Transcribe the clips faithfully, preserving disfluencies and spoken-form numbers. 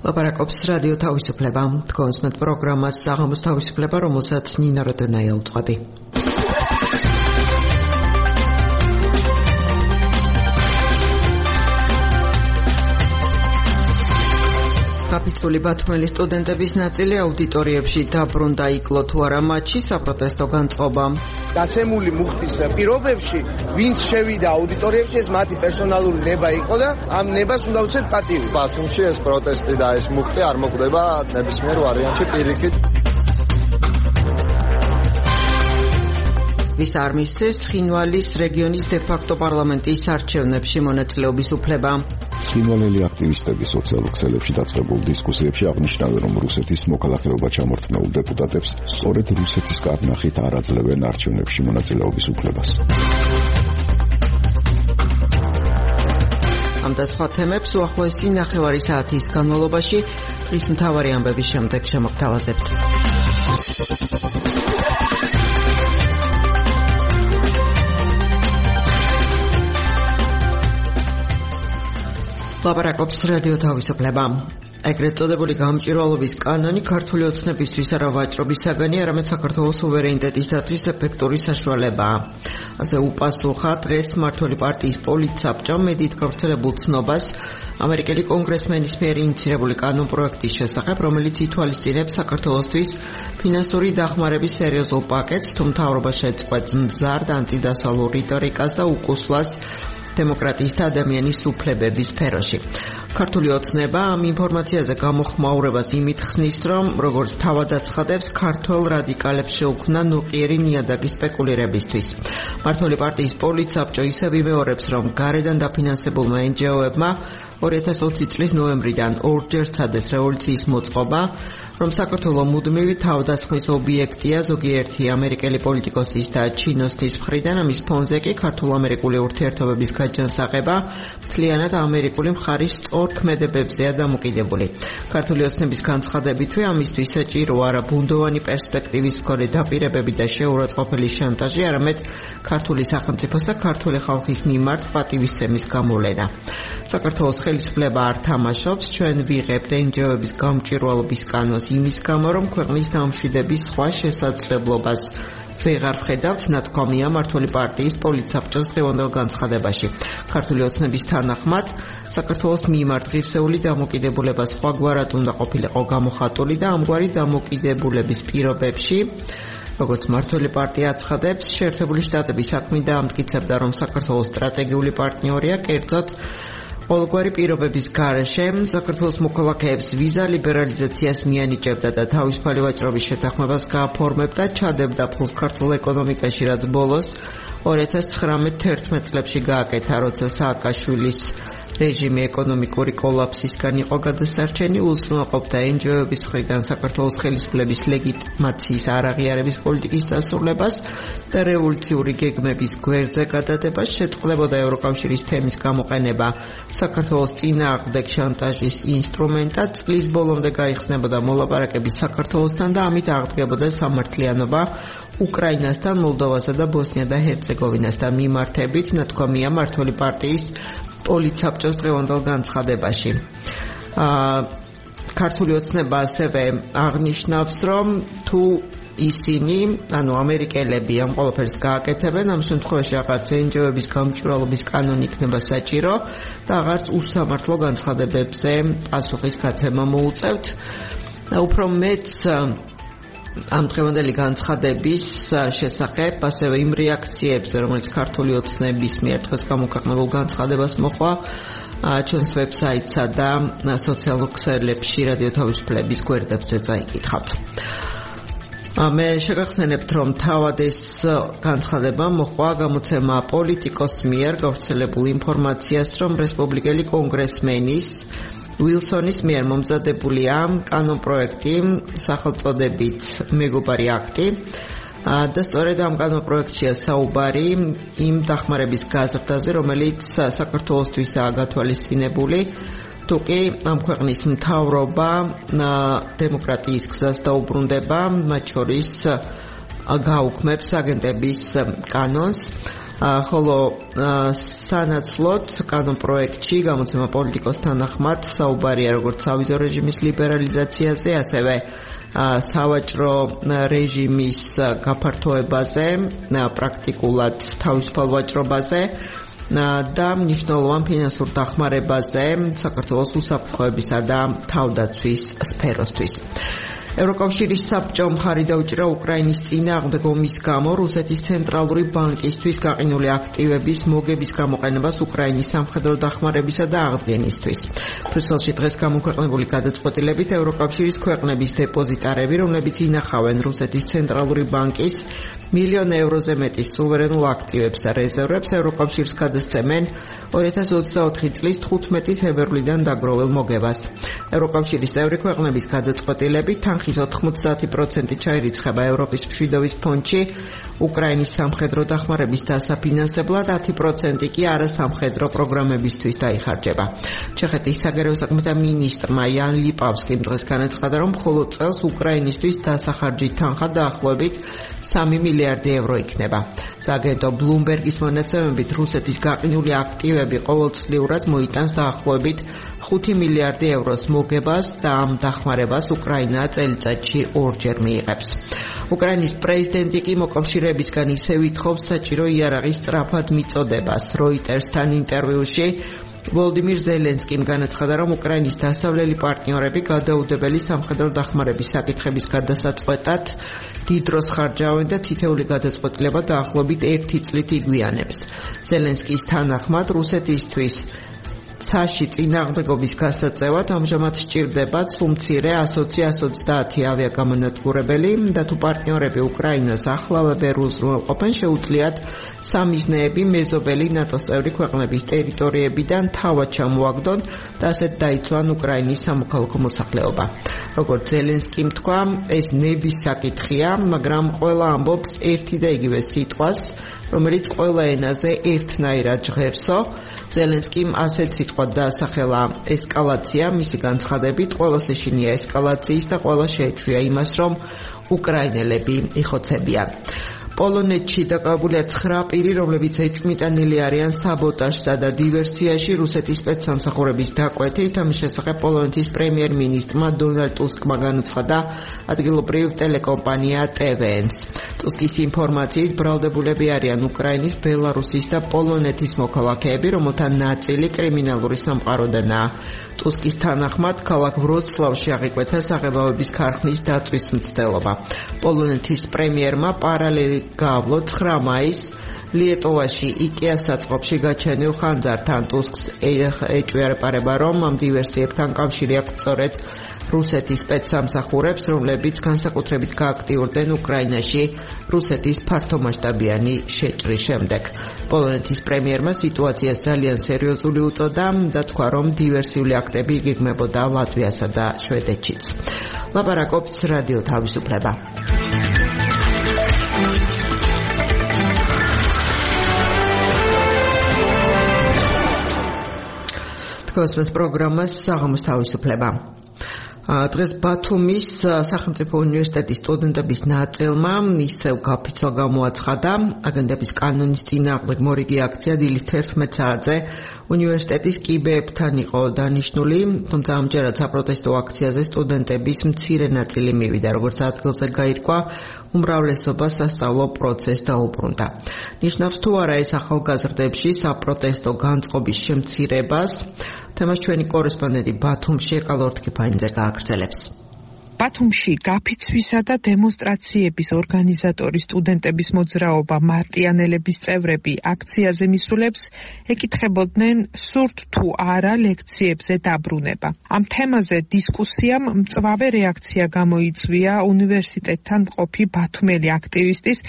ლაპარაკობს რადიო თავისუფლება. თქვენს მეტ პროგრამას საღამოს თავისუფლება, რომელსაც ნინა როდონაია უძღვები. კაპიტული ბათუმელი სტუდენტების ნაწილი აუდიტორიებში დაბრუნდა, იკლო თუ არა მათში საპროტესტო განწყობა. დაცემული მუხტის პირობებში, ვინც შევიდა აუდიტორიებში, ეს მათი პერსონალური ნება იყო და ამ ნებას უნდა უცეთ პატივი. ბათუმში ეს პროტესტი და ეს მუხტი არ მოკვდება ნებისმიერ ვარიანტში პირიქით. ვის არ მისცეს ცხინვალის რეგიონის დე-ფაქტო პარლამენტის არჩევნებში მონაწილეობის უფლება. ცხინვალელი აქტივისტები სოციალურ ქსელებში დაწყებულ დისკუსიებში აღნიშნავენ, რომ რუსეთის მოქალაქეობა ჩამორთმეულ დეპუტატებს სწორედ რუსეთის კარნახით არ აძლევენ არჩევნებში მონაწილეობის უფლებას. ამ და სხვა თემებს უახლოესი ნახევარი საათის განმავლობაში დღის მთავარი ამბების შემდეგ შემოგთავაზებთ. ლაპარაკობს რადიო თავისუფლება. ეგრეთ წოდებული გამჭვირვალობის კანონი ქართული ოცნებისთვის არა ვაჭრობის საგანი, არამედ საქართველოს სუვერენიტეტის დაცვის ეფექტური საშუალებაა. ასე უპასუხა დღეს მმართველი პარტიის პოლიტსაბჭომ მედიით გავრცელებულ ცნობას ამერიკელი კონგრესმენის მიერ ინიციირებული კანონპროექტის შესახებ, რომელიც ითვალისწინებს საქართველოსთვის ფინანსური დახმარების სერიოზულ პაკეტს, თუ მთავრობა შეწყვეტს მზარდ ანტიდასალურ რიტორიკას და უკუსლას დემოკრატიის და ადამიანის უფლებების სფეროში. ქართული ოცნება ამ ინფორმაციაზე გამოხმაურებას იმით ხსნის, რომ როგორც თავად აცხადებს, ქართველ რადიკალებს შეუქმნა ნუყიერი ნიადაგი სპეკულირებისთვის. მმართველი პარტიის პოლიტსაბჭო ისევ იმეორებს, რომ გარედან დაფინანსებულმა εν ჯი ო-ებმა ორი ათას ოცი წლის ნოემბრიდან ორჯერ სცადეს რევოლუციის მოწყობა, რომ საქართველო მუდმივი თავდასხმის ობიექტია ზოგიერთი ამერიკელი პოლიტიკოსის და ჩინოსთვის მხრიდან, ამის ფონზე კი ქართულ-ამერიკული ურთიერთობების გაჯანსაღება მთლიანად ამერიკული მხარის სწორ ქმედებებზეა დამოკიდებული. ქართული ოცნების განცხადებითვე ამისთვის საჭირო არა ბუნდოვანი პერსპექტივის მქონე დაპირებები და შეურაცხყოფელი შანტაჟი, არამედ ქართული სახელმწიფოს და ქართული ხალხის მიმართ პატივისცემის გამოვლენა. საქართველოს ხელისუფლება არ თამაშობს, ჩვენ ვიღებთ εν ჯი ო-ების გამჭვირვალობის კანონს იმის გამო, რომ ქვეყნის დამშვიდების სხვა შესაძლებლობას ვეღარ ვხედავთ, ნათქვამია მმართველი პარტიის პოლიტსაბჭოს დღევანდელ განცხადებაში. ქართული ოცნების თანახმად, საქართველოს მიმართ ღირსეული დამოკიდებულება სხვაგვარად უნდა ყოფილიყო გამოხატული და ამგვარი დამოკიდებულების პირობებში, როგორც მმართველი პარტია აცხადებს, შეერთებული შტატები საქმე დაამტკიცებდა, რომ საქართველოს სტრატეგიული პარტნიორია, კერძოდ ყოველგვარი პირობების გარეშე საქართველოს მოქალაქეებს ვიზა ლიბერალიზაციას მიანიჭებდა და თავისუფალი ვაჭრობის შეთანხმებას გააფორმებდა, ჩადებდა ფულს ქართულ ეკონომიკაში, რაც ბოლოს ორი ათას ცხრამეტ თერთმეტ წლებში გააკეთა, როცა სააკაშვილის რეჟიმი ეკონომიკური კოლაფსისგან იყო გადასარჩენი, უზრუნველყოფდა εν ჯი ო-ების მხრიდან საქართველოს ხელისუფლების ლეგიტიმაციის არაღიარების პოლიტიკის დასრულებას და რევოლუციური გეგმების გვერდზე გადადებას, შეწყდებოდა ევროკავშირის თემის გამოყენება საქართველოს წინააღმდეგ შანტაჟის ინსტრუმენტად, წლის ბოლომდე გაიხსნებოდა მოლაპარაკების საქართველოსთან და ამით აღდგებოდა სამართლიანობა უკრაინასთან, მოლდოვასა და ბოსნია და ჰერცეგოვინასთან მიმართებით, ნათქვამია მმართველი პარტიის პოლიტსაბჭოს დღევანდელ განცხადებაში. ქართული ოცნება ასევე აღნიშნავს, რომ თუ ისინი, ანუ ამერიკელები ამ ყველაფერს გააკეთებენ, ამ შემთხვევაში აღარც εν ჯი ო-ების გამჭვირვალობის კანონი იქნება საჭირო და აღარც უსამართლო განცხადებებზე პასუხის გაცემა მოუწევთ. უფრო მეც ამ დღევანდელი განცხადების შესახებ, ასევე იმ რეაქციებზე, რომელიც ქართული ოცნების მიერ დღეს გამოქვეყნებულ განცხადებას მოჰყვა, ჩვენს ვებსაიტსა და სოციალურ ქსელებში რადიო თავისუფლების გვერდებზე წაიკითხავთ. მე შეგახსენებთ, რომ თავად ეს განცხადება მოჰყვა გამოცემა პოლიტიკოს მიერ გავრცელებულ ინფორმაციას, რომ რესპუბლიკელი კონგრესმენის უილსონის მიერ მომზადებულია კანონპროექტი სახელწოდებით მეგობარი აქტი და სწორედ ამ კანონპროექტშია საუბარი იმ დახმარების გაზრდაზე, რომელიც საქართველოსთვისაა გათვალისწინებული, თუკი ამ ქვეყნის მთავრობა დემოკრატიის გზას დაუბრუნდება, მათ შორის გაუქმებს აგენტების კანონს. ხოლო სანაცვლოდ კანონპროექტში გამოცემა პოლიტიკოსთან ნახმად საუბარია როგორც სავიზო რეჟიმის ლიბერალიზაციაზე, ასევე სავაჭრო რეჟიმის გაფართოებაზე, პრაქტიკულად თავისუფალ ვაჭრობაზე და მნიშვნელოვან ფინანსურ დახმარებაზე საქართველოს უსაფრთხოებისა და თავდაცვის სფეროსთვის. ევროკავშირის საბჭო მხარი დაუჭირა უკრაინის წინააღმდეგ ომის გამო რუსეთის ცენტრალური ბანკისთვის გაყინული აქტივების მოგების გამოყენებას უკრაინის სამხედრო დახმარებისა და აღდგენისთვის. ბრიუსელში დღეს გამოქვეყნებული გადაწყვეტილებით ევროკავშირის ქვეყნების დეპოზიტარები, რომლებიც ინახავენ რუსეთის ცენტრალური ბანკის მილიონ ევროზე მეტი სუვერენულ აქტივებს და რეზერვებს ევროკავშირს გადასცემენ ორი ათას ოცდაოთხი წლის თხუთმეტი თებერვლიდან დაგროვილ მოგებას. ევროკავშირის წევრი ქვეყნების გადაწყვეტილებით თანხის ოთხმოცდაათი პროცენტი ჩაირიცხება ევროპის მშვიდობის ფონდში უკრაინის სამხედრო დახმარების დასაფინანსებლად, ათი პროცენტი კი არასამხედრო პროგრამებისთვის დაიხარჯება. ჩეხეთის საგარეო საქმეთა მინისტრმა იან ლიპავსკიმ დღეს განაცხადა, რომ მხოლოდ წელს უკრაინისთვის დასახარჯი თანხა დაახლოებით სამი მილიარდი ევრო იქნება. სააგენტო ბლუმბერგის მონაცემებით რუსეთის გაყინული აქტივები ყოველწლიურად მოიტანს დაახლოებით ხუთი მილიარდი ევროს მოგებას და ამ დახმარებას უკრაინა წელიწადში ორჯერ მიიღებს. უკრაინის პრეზიდენტი კი მოკავშირეებისგან ისევ ითხოვს საჭირო იარაღის სწრაფად მიწოდებას. როიტერსთან ინტერვიუში ვოლდიმირ ზელენსკიმ განაცხადა, რომ უკრაინის დასავლელი პარტნიორები გადაუდებელი სამხედრო დახმარების საკითხების გადასაწყვეტად დიდ დროს ხარჯავენ და თითეული გადაწყვეტილება დაახლოებით ერთი წლით იგვიანებს. ზელენსკის თანახმად რუსეთისთვის ცაში წინააღმდეგობის გასაწევად ამჟამად სჭირდება სუმცირე ასოცი ოცდაათი ავიაგამონათბურებელი და თუ პარტნიორები უკრაინას ახლავე ვერ უზრუნველყოფენ, შეუძლიათ სამიზნეები მეზობელი ნატოს წევრი ქვეყნების ტერიტორიებიდან თავად ჩამოაგდონ და ასეთ დაიცვან უკრაინის სამოქალაქო მოსახლეობა. როგორც ზელენსკიმ თქვა, ეს ნების საკითხია, მაგრამ ყველა ამბობს ერთი და იგივე სიტყვას, რომელიც ყველა ენაზე ერთნაირად ჟღერსო. ზელენსკიმ ასეთ სიტყვად დაასახელა ესკალაცია, მისი განცხადებით ყველას ეშინია ესკალაციის და ყველა შეეჩვია იმას, რომ უკრაინელები იხოცებიან. პოლონეთში დაკავებულია ცხრა პირი, რომლებიც ეჭვმიტანილი არიან საბოტაჟსა და დივერსიაში რუსეთის სპეცსამსახურების დაკვეთით. ამის შესახებ პოლონეთის პრემიერ-მინისტრმა დონალდ ტუსკმა განაცხადა ადგილობრივ ტელეკომპანია ტე ვე ენს. ტუსკის ინფორმაციით ბრალდებულები არიან უკრაინის, ბელარუსის და პოლონეთის მოქალაქეები, რომელთა ნაწილი კრიმინალური სამყაროდანაა. ტუსკის თანახმად ქალაქ ვროცლავში აღიკვეთა საღებავების ქარხნის დაწვის მცდელობა. პოლონეთის პრემიერმა პარალელი გაავლო ცხრა მაისს ლიეტოვაში იკეას საწყობში გაჩენილ ხანძართან. ტუსკს ეჭვიარება, რომ ამ დივერსიებთან კავშირი აქვს სწორედ რუსეთის სპეცსამსახურებს, რომლებიც განსაკუთრებით გააქტიურდნენ უკრაინაში რუსეთის ფართომასშტაბიანი შეჭრის შემდეგ. პოლონეთის პრემიერმა სიტუაციას ძალიან სერიოზული უწოდა და თქვა, რომ დივერსიული აქტები იგეგმებოდა ლატვიასა და შვედეთშიც. ლაპარაკობს რადიო თავისუფლება. გასვენთ პროგრამას საღამოს თავისუფლება. დღეს ბათუმის სახელმწიფო უნივერსიტეტის სტუდენტების ნაწილმა ისევ გაფიცვა გამოაცხადა აგენტების კანონის წინააღმდეგ მორიგი აქცია დილის თერთმეტ საათზე უნივერსიტეტის კიბეებთან იყო დანიშნული, თუმცა ამჯერად საპროტესტო აქციაზე სტუდენტების მცირე ნაწილი მივიდა, როგორც ადგილზე გაირკვა, უმრავლესობა სასწავლო პროცესს დაუბრუნდა. ნიშნავს თუ არა ეს ახალგაზრდებში საპროტესტო განწყობის შემცირებას. თემას ჩვენი კორესპონდენტი ბათუმში ეკალორთქიფაინძე გააგრძელებს. ბათუმში გაფიცვისა და დემონსტრაციების ორგანიზატორი სტუდენტების მოძრაობა მარტიანელების წევრები აქციაზე მისულებს ეკითხებოდნენ სურთ თუ არა ლექციებზე დაბრუნება. ამ თემაზე დისკუსიამ მწვავე რეაქცია გამოიწვია უნივერსიტეტთან მყოფი ბათუმელი აქტივისტის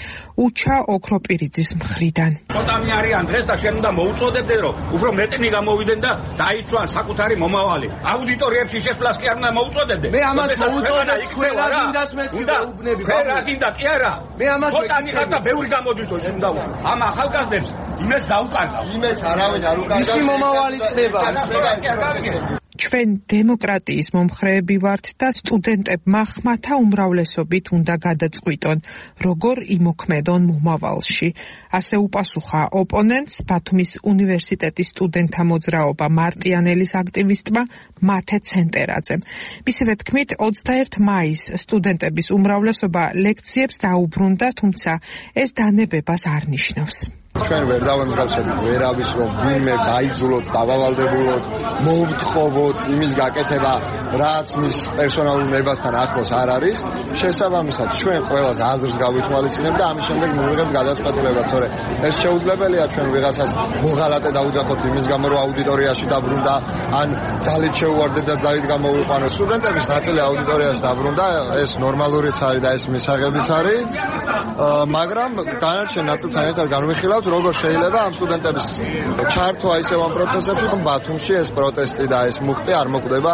უჩა ოქროპირიძის მხრიდან. ხოტამი არიან დღეს და შენ უნდა მოუწოდებდე რომ უფრო მეტნი გამოვიდნენ და დაიცვან საკუთარი მომავალი. აუდიტორიებში შესვლას კი არ უნდა მოუწოდებდე. მე ამას მოუწოდებ თქვენ რა გინდათ მე ვუბნები თქვენ რა გინდათ კი არა მე ამას ხოტანი ხარ და ბევრი გამოდვითო ის უნდა ამ ახალგაზრდებს იმეს დაუკარგავ იმეს არავინ არ უკარგავს ისი მომავალი წდება ჩვენ დემოკრატიის მომხრეები ვართ და სტუდენტებმა ხმათა უმრავლესობით უნდა გადაწყვიტონ, როგორ იმოქმედონ მომავალში. ასე უპასუხა ოპონენტს ბათუმის უნივერსიტეტის სტუდენტთა მოძრაობა მარტიანელის აქტივისტმა მათე ცენტერაძემ. მისივე თქმით, ოცდაერთი მაისს სტუდენტების უმრავლესობა ლექციებს დაუბრუნდა, თუმცა ეს დანებებას არ ნიშნავს. ჩვენ ვერ დავამსგავსებთ ვერავის, რომ ვინმე გაიძულოთ, დავავალდებულოთ, მოვთხოვოთ იმის გაკეთება, რაც მის პერსონალურ ნებასთან ახლოს არ არის. შესაბამისად, ჩვენ ყველას აზრს გავითვალისწინებთ და ამის შემდეგ მივიღებთ გადაწყვეტილებას, თორე ეს შეუძლებელია ჩვენ ვიღაცას მოღალატე დაუძახოთ იმის გამო, რომ აუდიტორიაში დაბრუნდა, ან ძალით შეუვარდეთ და ძალით გამოვიყვანოთ. სტუდენტების ნაწილი აუდიტორიაში დაბრუნდა, ეს ნორმალურიც არის და ეს მისაღებიც არის, მაგრამ განარჩენ ნაწილთან ერთად განვიხილავთ, როგორ შეიძლება ამ სტუდენტების ჩართვა ისევ ამ პროცესებში, რომ ბათუმში ეს პროტესტი და ეს მუხტი არ მოკვდება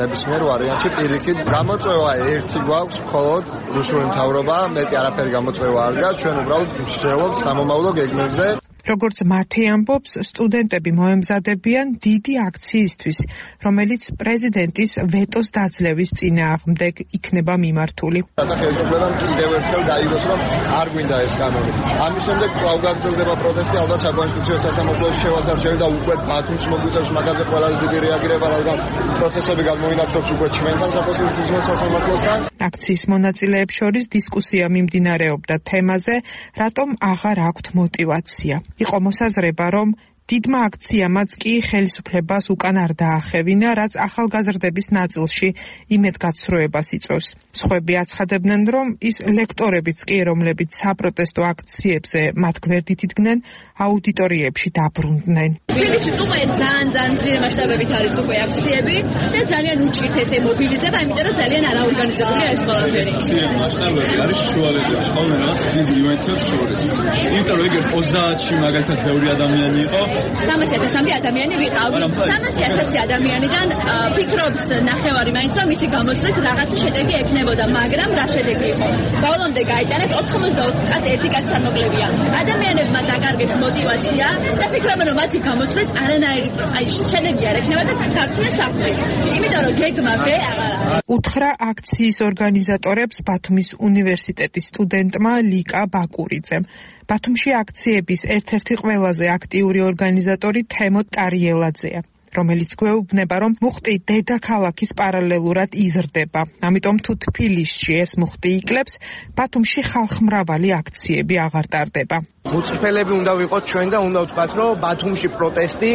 ნებისმიერ ვარიანტში პირიქით. გამოწვევა ერთი გვაქვს, მხოლოდ რუსული მთავრობა, მეტი არაფერი გამოწვევა არ დგას, ჩვენ უბრალოდ ვშველობთ სამომავლო გეგმებზე. როგორც მათე ამბობს, სტუდენტები მოემზადებიან დიდი აქციისთვის, რომელიც პრეზიდენტის ვეტოს დაძლევის წინააღმდეგ იქნება მიმართული. და ხელისუფლებამ კიდევ ერთხელ გაიგოს, რომ არ გვინდა ეს კანონი. ამის შემდეგ კვლავ გაგრძელდება პროტესტი, ალბათ საკონსტიტუციო სასამართლოში შევასარჩევი და უკვე ბათუმს მოგვიწევს მაგაზე ყველაზე დიდი რეაგირება, რადგან პროცესები გადმოინაცვლებს უკვე ჩვენთან საკონსტიტუციო სასამართლოსთან. აქციის მონაწილეებს შორის დისკუსია მიმდინარეობდა თემაზე, რატომ აღარ აქვთ мотиваცია. იყო მოსაზრება, რომ დიდმა აქციამაც კი ხელისუფლებას უკან არ დაახევინა, რაც ახალგაზრდების ნაწილში იმედგაცრუებას იწვევს. სხვები აცხადებდნენ, რომ ის ლექტორებიც კი, რომლებიც საპროტესტო აქციებზე მათ გვერდით იდგნენ, აუდიტორიებში დაბრუნდნენ. თბილისში უკვე ძალიან ძალიან ძლიერ მასშტაბებით არის უკვე აქციები და ძალიან უჭირთ ესე მობილიზება, იმიტომ რომ ძალიან არაორგანიზებულია ეს ყველაფერი. ძლიერ მასშტაბები არის შუალედებს ყოველას დიდ ივენთებს შორის. იმიტომ რომ ეგრეთ ოცდაათში მაგალითად ბევრი ადამიანი იყო. სამასი ათასამდე ადამიანი ვიყავი. სამასი ათასი ადამიანიდან ფიქრობს ნახევარი მაინც რომ მისი გამოწვევით რაღაცა შედეგი ექნებოდა, მაგრამ რა შედეგი იყო? ბოლომდე გაიტანეს ოთხმოცდაოთხ კაც ერთი კაც სამოკლებია. ადამიანებმა დაკარგეს мотиваცია და ფიქრობენ რომ მათი გამოწვევით არანაირი აი შედეგი არ ექნება და გარჩნენ სახლში. იმიტომ რომ გეგმა ვე აღარ არის. უთხრა აქციის ორგანიზატორებს ბათუმის უნივერსიტეტის სტუდენტმა ლიკა ბაკურიძემ. ბათუმში აქციების ერთ-ერთი ყველაზე აქტიური ორგანიზატორი თემო ტარიელაძეა, რომელიც გვეუბნება, რომ მუხტი დედაქალაქის პარალელურად იზრდება. ამიტომ თუ თბილისში ეს მუხტი იკლებს, ბათუმში ხალხმრავალი აქციები აღარ ტარდება. მუწიფელები უნდა ვიყოთ ჩვენ და უნდა ვთქვათ, რომ ბათუმში პროტესტი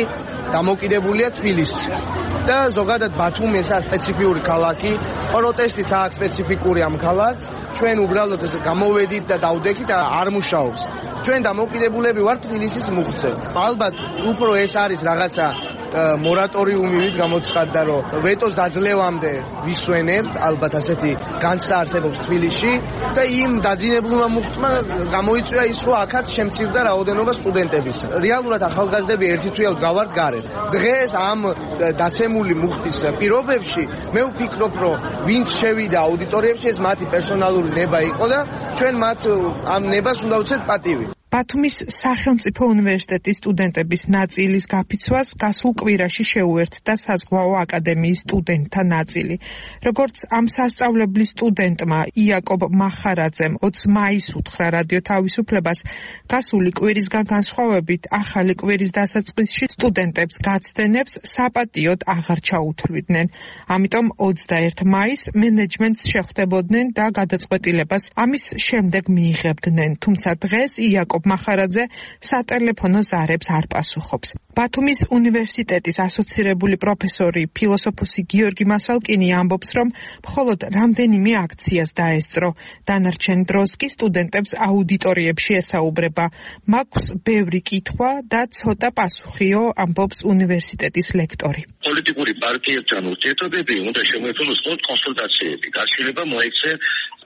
დამოკიდებულია თბილისში. და ზოგადად ბათუმი ესაა სპეციფიური ქალაქი, პროტესტიც აქვს სპეციფიკური ამ ქალაქს. ჩვენ უბრალოდ ეს გამოვედით და დავდექით და არ მუშაობს. ჩვენ დამოკიდებულები ვართ თბილისის მუხტზე. ალბათ უფრო ეს არის რაღაცა მორატორიუმი ვით გამოცხადდა, რომ ვეტოს დაძლევამდე ვისვენებთ, ალბათ ასეთი განცდა არსებობს თბილისში და იმ დაძინებულმა მუხტმა გამოიწვია ის, რომ აქაც შემცირდა რაოდენობა სტუდენტების. რეალურად ახალგაზრდები ერთი თვეავთ გავართ გარეთ. დღეს ამ დაცემული მუხტის პირობებში მე ვფიქრობ, რომ ვინც შევიდა აუდიტორიებში, ეს მათი პერსონალური ნება იყო და ჩვენ მათ ამ ნებას უნდა ვუწევთ პატივი. ბათუმის სახელმწიფო უნივერსიტეტის სტუდენტების ნაწილის გაფიცვას გასულ კვირაში შეუერთდა საზღვაო აკადემიის სტუდენტთა ნაწილი. როგორც ამ სასწავლებლის სტუდენტმა იაკობ მახარაძემ ოცი მაისს უთხრა რადიო თავისუფლებას, გასული კვირისგან განსხვავებით ახალი კვირის დასაწყისში სტუდენტებს გაცდენებს საპატიოდ აღარ ჩაუთვლიდნენ. ამიტომ ოცდაერთი მაისს მენეჯმენტს შეხვდებოდნენ და გადაწყვეტილებას ამის შემდეგ მიიღებდნენ. თუმცა დღეს იაკობ მახარაძე სატელეფონო ზარებს არ პასუხობს. ბათუმის უნივერსიტეტის ასოცირებული პროფესორი, ფილოსოფოსი გიორგი მასალკინი ამბობს, რომ მხოლოდ რამდენიმე აქციას დაესწრო. დანარჩენ დროს კი სტუდენტებს აუდიტორიებში ესაუბრება. მაქვს ბევრი კითხვა და ცოტა პასუხიო, ამბობს უნივერსიტეტის ლექტორი. პოლიტიკური პარტიებთან ურთიერთობები უნდა შემოიფაროს მხოლოდ კონსულტაციები. გარშემოება მოექცე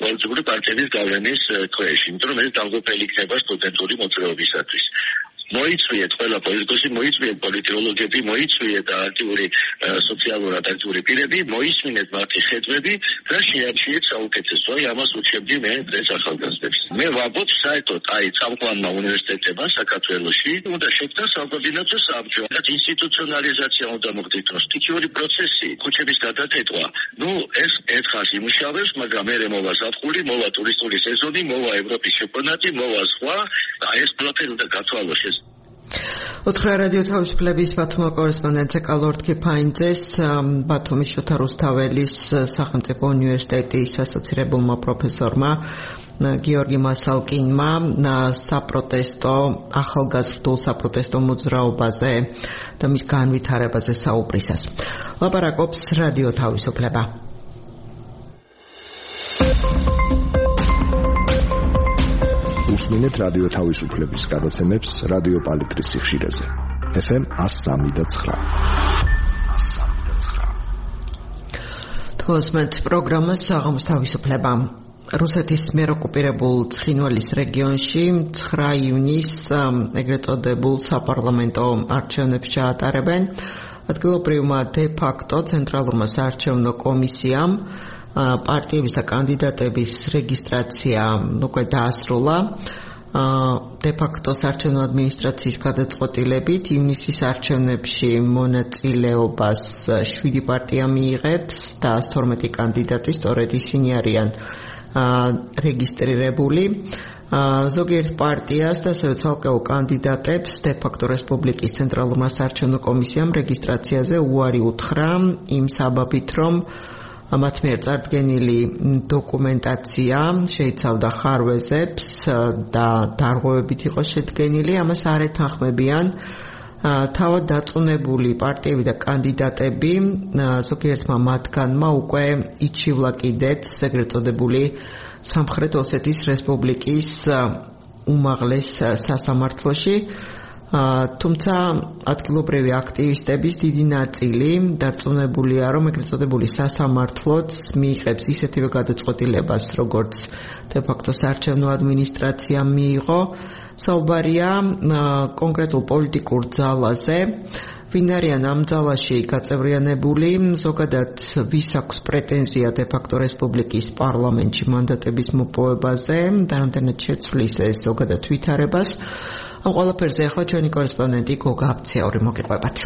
პოლიტიკური პარტიების გავლენის ქვეშ, იმიტომ რომ ეს დამღუპელი იქნება სტუდენტური მოძრაობისათვის. მოიწვიეთ ყველა პოლიტიკოსი, მოიწვიეთ პოლიტოლოგები, მოიწვიეთ აქტიური სოციალურად აქტიური პირები, მოისმინეთ მათი ხედვები და შეარჩიეთ საუკეთესო. აი ამას უჩებდი მე დღეს ახალგაზრდებს. მე ვაბოთ საერთოდ აი წამყვანმა უნივერსიტეტებმა საქართველოში უნდა შექმნას საკოორდინაციო საბჭო. ინსტიტუციონალიზაცია უნდა მოხდეს, სტიქიური პროცესი, ქუჩების გადატეტვა. ნუ ეს ერთხელ იმუშავებს, მაგრამ მერე მოვა ზაფხული, მოვა ტურისტული სეზონი, მოვა ევროპის ჩემპიონატი, მოვა სხვა და ეს პროცესი უნდა გათვალოს ეს. ოთხრა რადიო თავისუფლების ბათუმ კორესპონდენტ კალორდ კიფაინძეს ბათუმის შოთა რუსთაველის სახელმწიფო უნივერსიტეტის ასოცირებულმა პროფესორმა გიორგი მასალკინმა საპროტესტო ახალგაზრდულ საპროტესტო მოძრაობაზე და მის განვითარებაზე საუბრისას. ლაპარაკობს რადიო თავისუფლება. უსმინეთ რადიო თავისუფლების გადაცემებს რადიო პალიტრის სიხშირეზე. ეფ ემ one oh three point nine. თქოსმეთ პროგრამას საღამოს თავისუფლება. რუსეთის მიერ ოკუპირებულ ცხინვალის რეგიონში ცხრა ივნისს ეგრეთ წოდებულ საპარლამენტო არჩევნებს ჩაატარებენ. ადგილობრივმა დე ფაქტო ცენტრალურმა საარჩევნო კომისიამ პარტიების და კანდიდატების რეგისტრაცია უკვე დაასრულა. დე ფაქტო საარჩევნო ადმინისტრაციის გადაწყვეტილებით ივნისის არჩევნებში მონაწილეობას შვიდი პარტია მიიღებს და one hundred twelve კანდიდატი სწორედ ისინი არიან რეგისტრირებული. ზოგიერთ პარტიას და ასევე ცალკეულ კანდიდატებს დე ფაქტო რესპუბლიკის ცენტრალურმა საარჩევნო კომისიამ რეგისტრაციაზე უარი უთხრა იმ საბაბით, რომ მათ მიერ წარდგენილი დოკუმენტაცია შეიცავდა ხარვეზებს და დარღვევებით იყო შედგენილი, ამას არ ეთანხმებიან თავად დაწუნებული პარტიები და კანდიდატები. ზოგიერთმა მათგანმა უკვე იჩივლა კიდეც ეგრეთ წოდებული სამხრეთ ოსეთის რესპუბლიკის უმაღლეს სასამართლოში. თუმცა ადგილობრივი აქტივისტების დიდი ნაწილი დარწმუნებულია, რომ ეგრეთ წოდებული სასამართლოც მიიღებს ისეთივე გადაწყვეტილებას, როგორც დე ფაქტო საარჩევნო ადმინისტრაციამ მიიღო. საუბარია კონკრეტულ პოლიტიკურ ძალაზე, ვინ არიან ამ ძალაში გაწევრიანებული, ზოგადად ვის აქვს პრეტენზია დე ფაქტო რესპუბლიკის პარლამენტში მანდატების მოპოვებაზე და რამდენად შეცვლის ეს ზოგადად ვითარებას. ამ ყველაფერზე ახლა ჩვენი კორესპონდენტი გოგა აბციური მოგიყვებათ.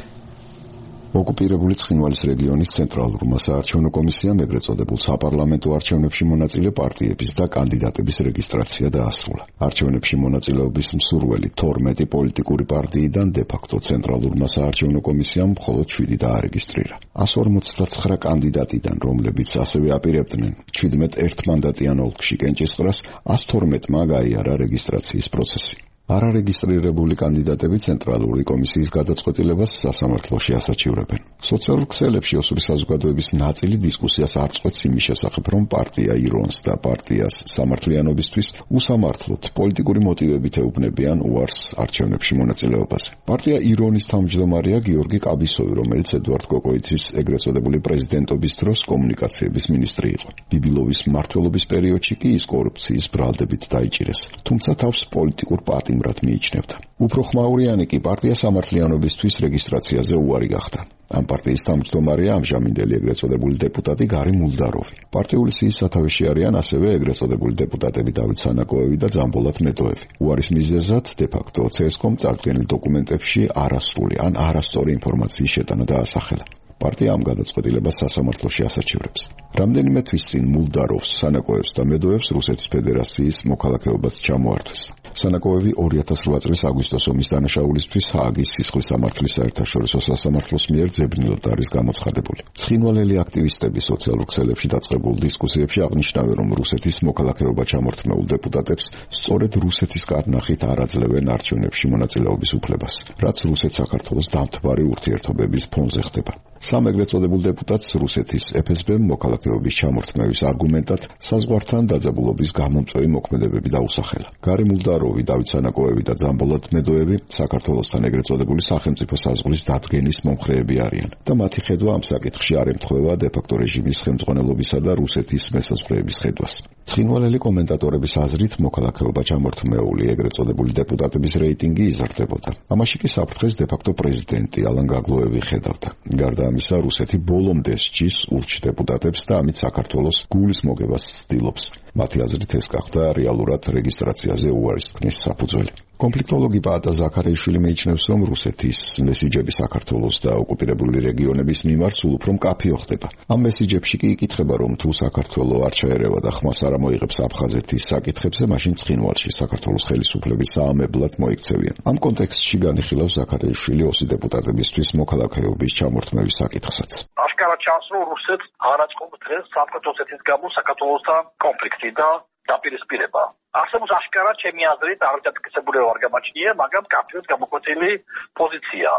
ოკუპირებული ცხინვალის რეგიონის ცენტრალურმა საარჩევნო კომისიამ ეგრეთ წოდებულ საპარლამენტო არჩევნებში მონაწილე პარტიების და კანდიდატების რეგისტრაცია დაასრულა. არჩევნებში მონაწილეობის მსურველი თორმეტი პოლიტიკური პარტიიდან დე ფაქტო ცენტრალურმა საარჩევნო კომისიამ მხოლოდ შვიდი დაარეგისტრირა. one hundred forty-nine კანდიდატიდან, რომლებიც ასევე აპირებდნენ შვიდმეტ ერთმანდატიან ოლქში კენჭისყრას, one hundred twelve-მა გაიარა რეგისტრაციის პროცესი. არარეგისტრირებული კანდიდატები ცენტრალური კომისიის გადაწყვეტილებას სასამართლოში ასაჩივრებენ. სოციალურ ქსელებში ოსური საზოგადოების ნაწილი დისკუსიას არ წყვეტს იმის შესახებ, რომ პარტია ირონს და პარტიას სამართლიანობისთვის უსამართლოდ პოლიტიკური მოტივებით ეუბნებიან უარს არჩევნებში მონაწილეობაზე. პარტია ირონის თავმჯდომარეა გიორგი კაბისოვი, რომელიც ედუარდ კოკოიცის ეგრეთ წოდებული პრეზიდენტობის დროს კომუნიკაციების მინისტრი იყო. ბიბილოვის მმართველობის პერიოდში კი ის კორუფციის ბრალდებით დაიჭირეს, თუმცა თავს პოლიტიკურ პარტიას იმრად მიიჩნევდა. უფრო ხმაურიანი კი პარტია სამართლიანობისთვის რეგისტრაციაზე უარი გახდა. ამ პარტიის თავმჯდომარეა ამჟამინდელი ეგრეთ წოდებული დეპუტატი გარი მულდაროვი. პარტიული სიის სათავეში არიან ასევე ეგრეთ წოდებული დეპუტატები დავით სანაკოევი და ძამბოლატ მედოევი. უარის მიზეზად დე ფაქტო ცესკომ წარდგენილ დოკუმენტებში არასრული ან არასწორი ინფორმაციის შეტანა დაასახელა. პარტია ამ გადაწყვეტილებას სასამართლოში ასაჩივრებს. რამდენიმე თვის წინ მულდაროვს, სანაკოევს და მედოევს რუსეთის ფედერაციის მოქალაქეობაც ჩამოართვეს. სანაკოევი two thousand eight წლის აგვისტოს ომის დანაშაულისთვის ჰააგის სისხლის სამართლის საერთაშორისო სასამართლოს მიერ ძებნილად არის გამოცხადებული. ცხინვალელი აქტივისტები სოციალურ ქსელებში დაწყებულ დისკუსიებში აღნიშნავენ, რომ რუსეთის მოქალაქეობა ჩამორთმეულ დეპუტატებს სწორედ რუსეთის კარნახით არ აძლევენ არჩევნებში მონაწილეობის უფლებას, რაც რუსეთ-საქართველოს დამთბარი ურთიერთობების ფონზე ხდება. სამ ეგრეთ წოდებულ დეპუტატს რუსეთის ეფ ეს ბე-მ მოქალაქეობის ჩამორთმევის არგუმენტად საზღვართან დაძაბულობის გამომწვევი მოქმედებები დაუსახელა. გარი მულდაროვი, დავით სანაკოევი და ძამბოლად მედოევი საქართველოსთან ეგრეთ წოდებული სახელმწიფო საზღვრის დადგენის მომხრეები არიან და მათი ხედვა ამ საკითხში არ ემთხვევა დე-ფაქტო რეჟიმის ხელმძღვანელობისა და რუსეთის მესაზღვრეების ხედვას. ცხინვალელი კომენტატორების აზრით მოქალაქეობა ჩამორთმეული ეგრეთ წოდებული დეპუტატების რეიტინგი იზრდებოდა. ამაში კი საფრთხეს დე-ფაქტო პრეზიდენტი ალან გაგლოევი ხედავდა. გარდა ამისა, რუსეთი ბოლომდე სჯის ურჩ დეპუტატებს და ამით საქართველოს გულის მოგებას ცდილობს. მათი აზრით ეს გახდა რეალურად რეგისტრაციაზე უარისთქმის საფუძველი. კონფლიქტოლოგი პაატა ზაქარეიშვილი მეიჩნევს, რომ რუსეთის მესიჯები საქართველოს და ოკუპირებული რეგიონების მიმართ სულ უფრო მკაფიო ხდება. ამ მესიჯებში კი იკითხება, რომ თუ საქართველო არ ჩაერევა და ხმას არ ამოიღებს აფხაზეთის საკითხებზე, მაშინ ცხინვალში საქართველოს ხელისუფლების საამებლად მოიქცევიან. ამ კონტექსტში განიხილავს ზაქარეიშვილი ოსი დეპუტატებისთვის მოქალაქეობის ჩამორთმევის საკითხსაც. აშკარად ჩანს, რომ რუსეთს არ აწყობს დღეს სამხრეთ-ოსეთის გამო საქართველოსთან კონფლიქტი და დაპირისპირება. არსებობს აშკარად ჩემი აზრით არადასტკისებული არ გამაჩნია, მაგრამ კაფეოს გამოკვეთილი პოზიცია.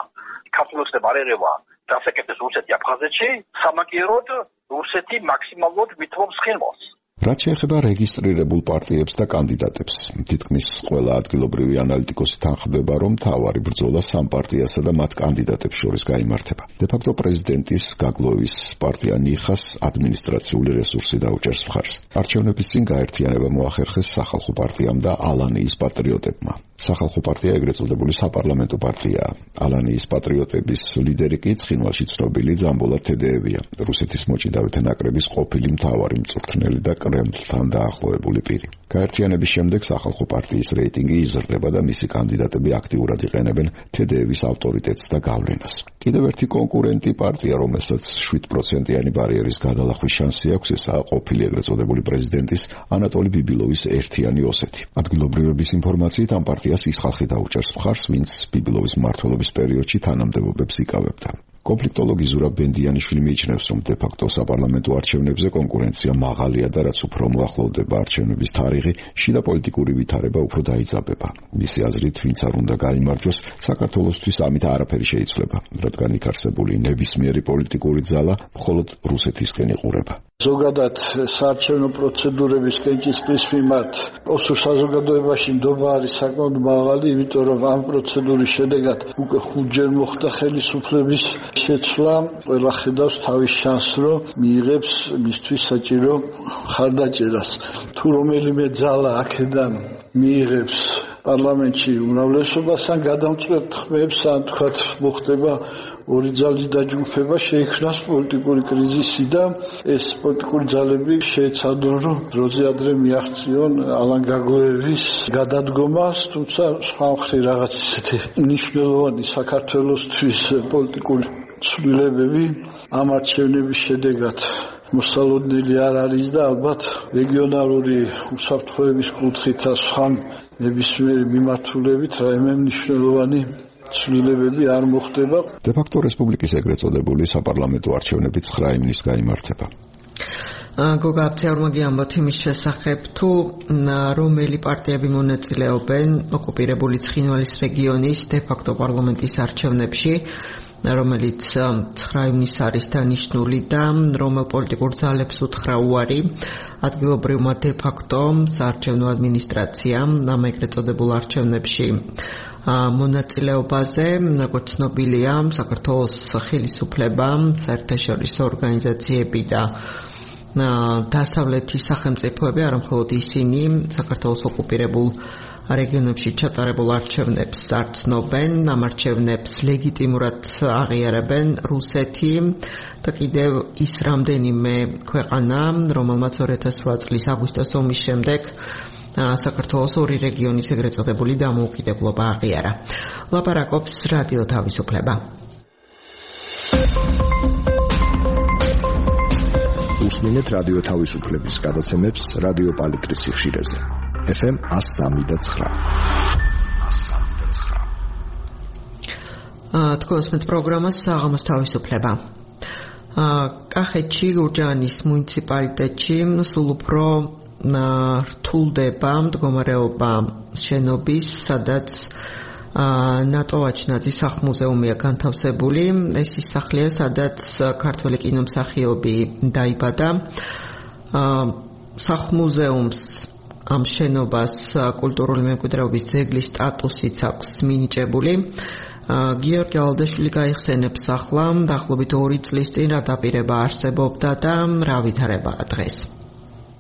საქართველოსთან არ ერევა დასაკეთებს რუსეთი აფხაზეთში, სამაგიეროდ რუსეთი მაქსიმალურად ვითმობს ცხინვალს. რაც შეეხება რეგისტრირებულ პარტიებს და კანდიდატებს, თითქმის ყველა ადგილობრივი ანალიტიკოსი თანხმდება, რომ მთავარი ბრძოლა სამ პარტიასა და მათ კანდიდატებს შორის გაიმართება. დე-ფაქტო პრეზიდენტის გაგლოევის პარტია ნიხას ადმინისტრაციული რესურსი დაუჭერს მხარს. არჩევნების წინ გაერთიანება მოახერხეს სახალხო პარტიამ და ალანიის პატრიოტებმა. სახალხო პარტია ეგრეთ წოდებული საპარლამენტო პარტიაა. ალანიის პატრიოტების ლიდერი კი ცხინვალში ცნობილი ძამბოლად თედეევია, რუსეთის მოჭიდავეთა ნაკრების ყოფილი მთავარი მწვრთნელი და კრემლთან დაახლოებული პირი. გაერთიანების შემდეგ სახალხო პარტიის რეიტინგი იზრდება და მისი კანდიდატები აქტიურად იყენებენ თედეევის ავტორიტეტს და გავლენას. კიდევ ერთი კონკურენტი პარტია, რომელსაც შვიდ პროცენტიანი ბარიერის გადალახვის შანსი აქვს, ესაა ყოფილი ეგრეთ წოდებული პრეზიდენტის ანატოლი ბიბილოვის ერთიანი ოსეთი. ადგილობრივების ინფორმაციით ამ პარტიას ის ხალხი დაუჭერს მხარს, ვინც ბიბილოვის მმართველობის პერიოდში თანამდებობებს იკავებდა. კონფლიქტოლოგი ზურაბ ბენდიანიშვილი მიიჩნევს, რომ დე-ფაქტო საპარლამენტო არჩევნებზე კონკურენცია მაღალია და რაც უფრო მოახლოვდება არჩევნების თარიღი, შიდა პოლიტიკური ვითარება უფრო დაიძაბება. მისი აზრით, ვინც არ უნდა გაიმარჯვოს, საქართველოსთვის ამით არაფერი შეიცვლება, რადგან იქ არსებული ნებისმიერი პოლიტიკური ძალა მხოლოდ რუსეთისკენ იყურება. ზოგადად საარჩევნო პროცედურების კენჭისყრის მიმართ ოსურ საზოგადოებაში ნდობა არის საკმაოდ მაღალი, იმიტომ რომ ამ პროცედურის შედეგად უკვე ხუთჯერ მოხდა ხელისუფლების შეცვლა. ყველა ხედავს თავის შანსს, რომ მიიღებს მისთვის საჭირო ხარდაჭერას. თუ რომელიმე ძალა აქედან მიიღებს პარლამენტში უმრავლესობას, ან გადამწყვეტ ხმებს, ან თქვათ მოხდება ორი ძალის დაჯგუფება, შეიქმნას პოლიტიკური კრიზისი და ეს პოლიტიკური ძალები შეეცადონ, რომ დროზე ადრე მიაღწიონ ალან გაგლოევის გადადგომას, თუმცა სხვა მხრივ რაღაც ისეთი მნიშვნელოვანი საქართველოსთვის პოლიტიკური ცვლილებები ამ არჩევნების შედეგად მოსალოდნელი არ არის და ალბათ რეგიონალური უსაფრთხოების კუთხით და სხვა ნებისმიერი მიმართულებით რაიმე მნიშვნელოვანი ცვლილებები არ მოხდება. დე-ფაქტო რესპუბლიკის ეგრეთ წოდებული საპარლამენტო არჩევნები ცხრა ივნის გაიმართება. გოგა აფცეორმაგი ამბობთ იმის შესახებ, თუ რომელი პარტიები მონაწილეობენ ოკუპირებული ცხინვალის რეგიონის დე-ფაქტო პარლამენტის არჩევნებში, რომელიც ცხრა ივნის არის დანიშნული და რომელ პოლიტიკურ ძალებს უთხრა უარი ადგილობრივმა დე-ფაქტო საარჩევნო ადმინისტრაციამ ამ ეგრეთ წოდებულ არჩევნებში მონაწილეობაზე, როგორც ცნობილია, საქართველოს ხელისუფლება, საერთაშორისო ორგანიზაციები და დასავლეთის სახელმწიფოები, არა მხოლოდ ისინი, საქართველოს ოკუპირებულ რეგიონებში ჩატარებულ არჩევნებს არ ცნობენ, ამ არჩევნებს ლეგიტიმურად აღიარებენ რუსეთი და კიდევ ის რამდენიმე ქვეყანა, რომელმაც ორი ათას რვა წლის აგვისტოს ომის შემდეგ საქართველოს ორი რეგიონის ეგრეთ წოდებული დამოუკიდებლობა აღიარა. ლაპარაკობს რადიო თავისუფლება. უსმინეთ რადიო თავისუფლების გადაცემებს რადიო პალიტრის სიხშირეზე. ეფ ემ one oh three და nine. თქვენს პროგრამას საღამოს თავისუფლება. კახეთში გურჯაანის მუნიციპალიტეტში სულ უფრო რთულდება მდგომარეობა შენობის, სადაც ნატო ვაჩნაძის სახლ-მუზეუმია განთავსებული. ეს ის სახლია, სადაც ქართველი კინომსახიობი დაიბადა. სახლ-მუზეუმს ამ შენობას კულტურული მემკვიდრეობის ძეგლის სტატუსიც აქვს მინიჭებული. გიორგი ალდაშვილი გაიხსენებს ახლა დაახლოებით ორი წლის წინ რა დაპირება არსებობდა და რა ვითარებაა დღეს.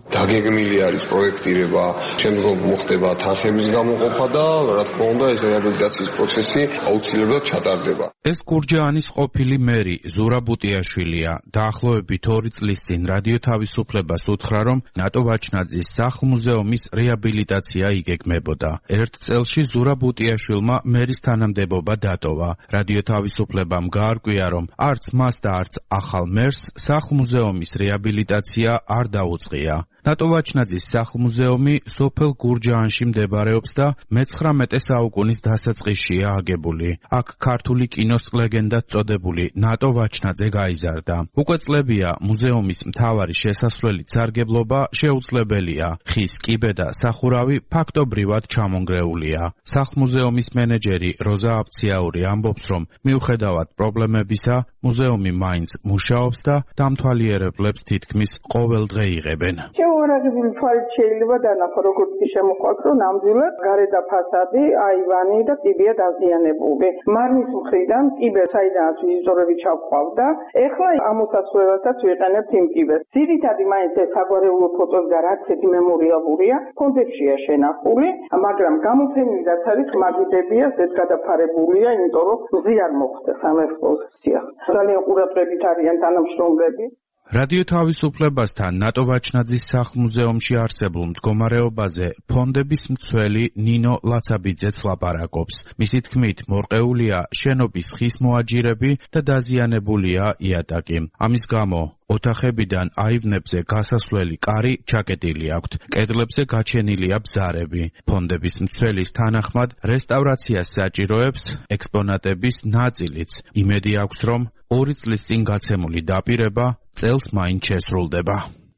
დაგეგმილი არის პროექტირება, შემდგომ მოხდება თანხების გამოყოფა და რა თქმა უნდა ეს რეაბილიტაციის პროცესი აუცილებლად ჩატარდება. ეს გურჯაანის ყოფილი მერი ზურაბ ბუტიაშვილია. დაახლოებით ორი წლის წინ რადიო თავისუფლებას უთხრა, რომ ნატო ვაჩნაძის სახლ-მუზეუმის რეაბილიტაცია იგეგმებოდა. ერთ წელში ზურაბ ბუტიაშვილმა მერის თანამდებობა დატოვა. რადიო თავისუფლებამ გაარკვია, რომ არც მას და არც ახალ მერს სახლ-მუზეუმის რეაბილიტაცია არ დაუწყია. ნატო ვაჩნაძის სახლ-მუზეუმი სოფელ გურჯაანში მდებარეობს და მეცხრამეტე საუკუნის დასაწყისშია აგებული. აქ ქართული კინოს ლეგენდად წოდებული ნატო ვაჩნაძე გაიზარდა. უკვე წლებია მუზეუმის მთავარი შესასვლელით სარგებლობა შეუძლებელია. ხის კიბე და სახურავი ფაქტობრივად ჩამონგრეულია. სახლ-მუზეუმის მენეჯერი როზა აბციაური ამბობს, რომ მიუხედავად პრობლემებისა, მუზეუმი მაინც მუშაობს და დამთვალიერებლებს თითქმის ყოველ დღე იღებენ. შეუარაღებული თვალით შეიძლება დანახო, როგორც კი შემოყვათ, რომ ნამდვილად გარედან ფასადი, აივანი და კიბეა დაზიანებული. მარნის მხრიდან კიბე საიდანაც ვიზიტორები ჩავყავდა, ეხლა ამოსასვლელადაც ვიყენებთ იმ კიბეს. ძირითადი მაინც ეს საგვარეულო ფოტოს და რაც ერთი მემორიალურია, ფონდებშია შენახული, მაგრამ გამოფენილდაც არის მაგიდებია, ეს გადაფარებულია, იმიტომ რომ მზი არ მოხდეს ამ ექსპოზიცია. ძალიან ყურადღებით არიან თანამშრომლები. რადიო თავისუფლებასთან ნატო ვაჩნაძის სახლ-მუზეუმში არსებულ მდგომარეობაზე ფონდების მცველი ნინო ლაცაბიძეც ლაპარაკობს. მისი თქმით, მორყეულია შენობის ხის მოაჯირები და დაზიანებულია იატაკი. ამის გამო ოთახებიდან აივნებზე გასასვლელი კარი ჩაკეტილი აქვთ. კედლებზე გაჩენილია ბზარები. ფონდების მცველის თანახმად რესტავრაციას საჭიროებს ექსპონატების ნაწილიც. იმედი აქვს, რომ ორი წლის წინ გაცემული დაპირება წელს მაინც შესრულდება.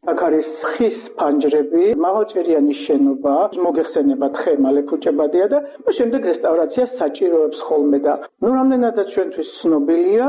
აქ არის ხის ფანჯრები, მაღალჭერიანი შენობა, მოგეხსენება თხე მალე ფუჭებადია და შემდეგ რესტავრაციას საჭიროებს ხოლმე და ნუ რამდენადაც ჩვენთვის ცნობილია,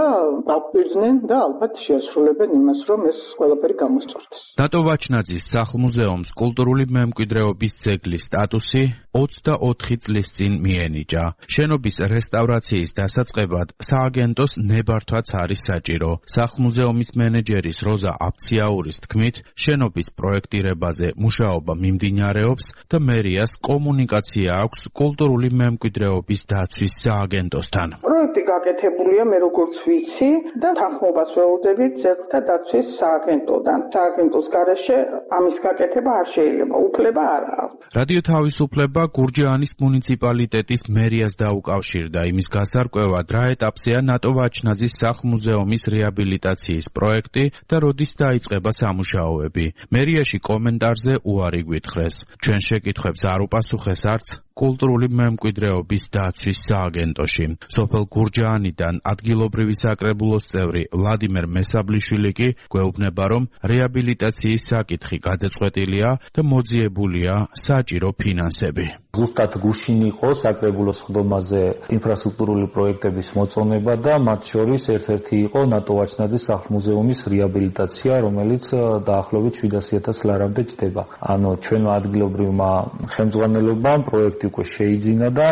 დაპირდნენ და ალბათ შეასრულებენ იმას, რომ ეს ყველაფერი გამოსწორდეს. ნატო ვაჩნაძის სახლ-მუზეუმს კულტურული მემკვიდრეობის ძეგლის სტატუსი ოცდაოთხი წლის წინ მიენიჭა. შენობის რესტავრაციის დასაწყებად სააგენტოს ნებართვაც არის საჭირო. სახლ-მუზეუმის მენეჯერის როზა აბციაურის თქმით, შენობის პროექტირებაზე მუშაობა მიმდინარეობს და მერიას კომუნიკაცია აქვს კულტურული მემკვიდრეობის დაცვის სააგენტოსთან. პროექტი გაკეთებულია, მე როგორც ვიცი და თანხმობას ველოდებით ძეგლთა დაცვის სააგენტოდან. სააგენტოს გარეშე ამის გაკეთება არ შეიძლება, უფლება არ აქვს. რადიო თავისუფლება გურჯაანის მუნიციპალიტეტის მერიას დაუკავშირდა იმის გასარკვევად, რა ეტაპზეა ნატო ვაჩნაძის სახლ-მუზეუმის რეაბილიტაციის პროექტი და როდის დაიწყება სამუშაოები. მერიაში კომენტარზე უარი გვითხრეს. ჩვენ შეკითხვებს არ უპასუხეს არც კულტურული მემკვიდრეობის დაცვის სააგენტოში. სოფელ გურჯაანიდან ადგილობრივი საკრებულოს წევრი ვლადიმერ მესაბლიშვილი კი გვეუბნება, რომ რეაბილიტაციის საკითხი გადაწყვეტილია და მოძიებულია საჭირო ფინანსები. ზუსტად გუშინ იყო საკრებულოს ხდომაზე ინფრასტრუქტურული პროექტების მოწონება და მათ შორის ერთ-ერთი იყო ნატო ვაჩნაძის სახლ-მუზეუმის რეაბილიტაცია, რომელიც დაახლოებით შვიდასი ათას ლარამდე ჯდება. ანუ ჩვენმა ადგილობრივმა ხელმძღვანელობამ პროექტი უკვე შეიძინა და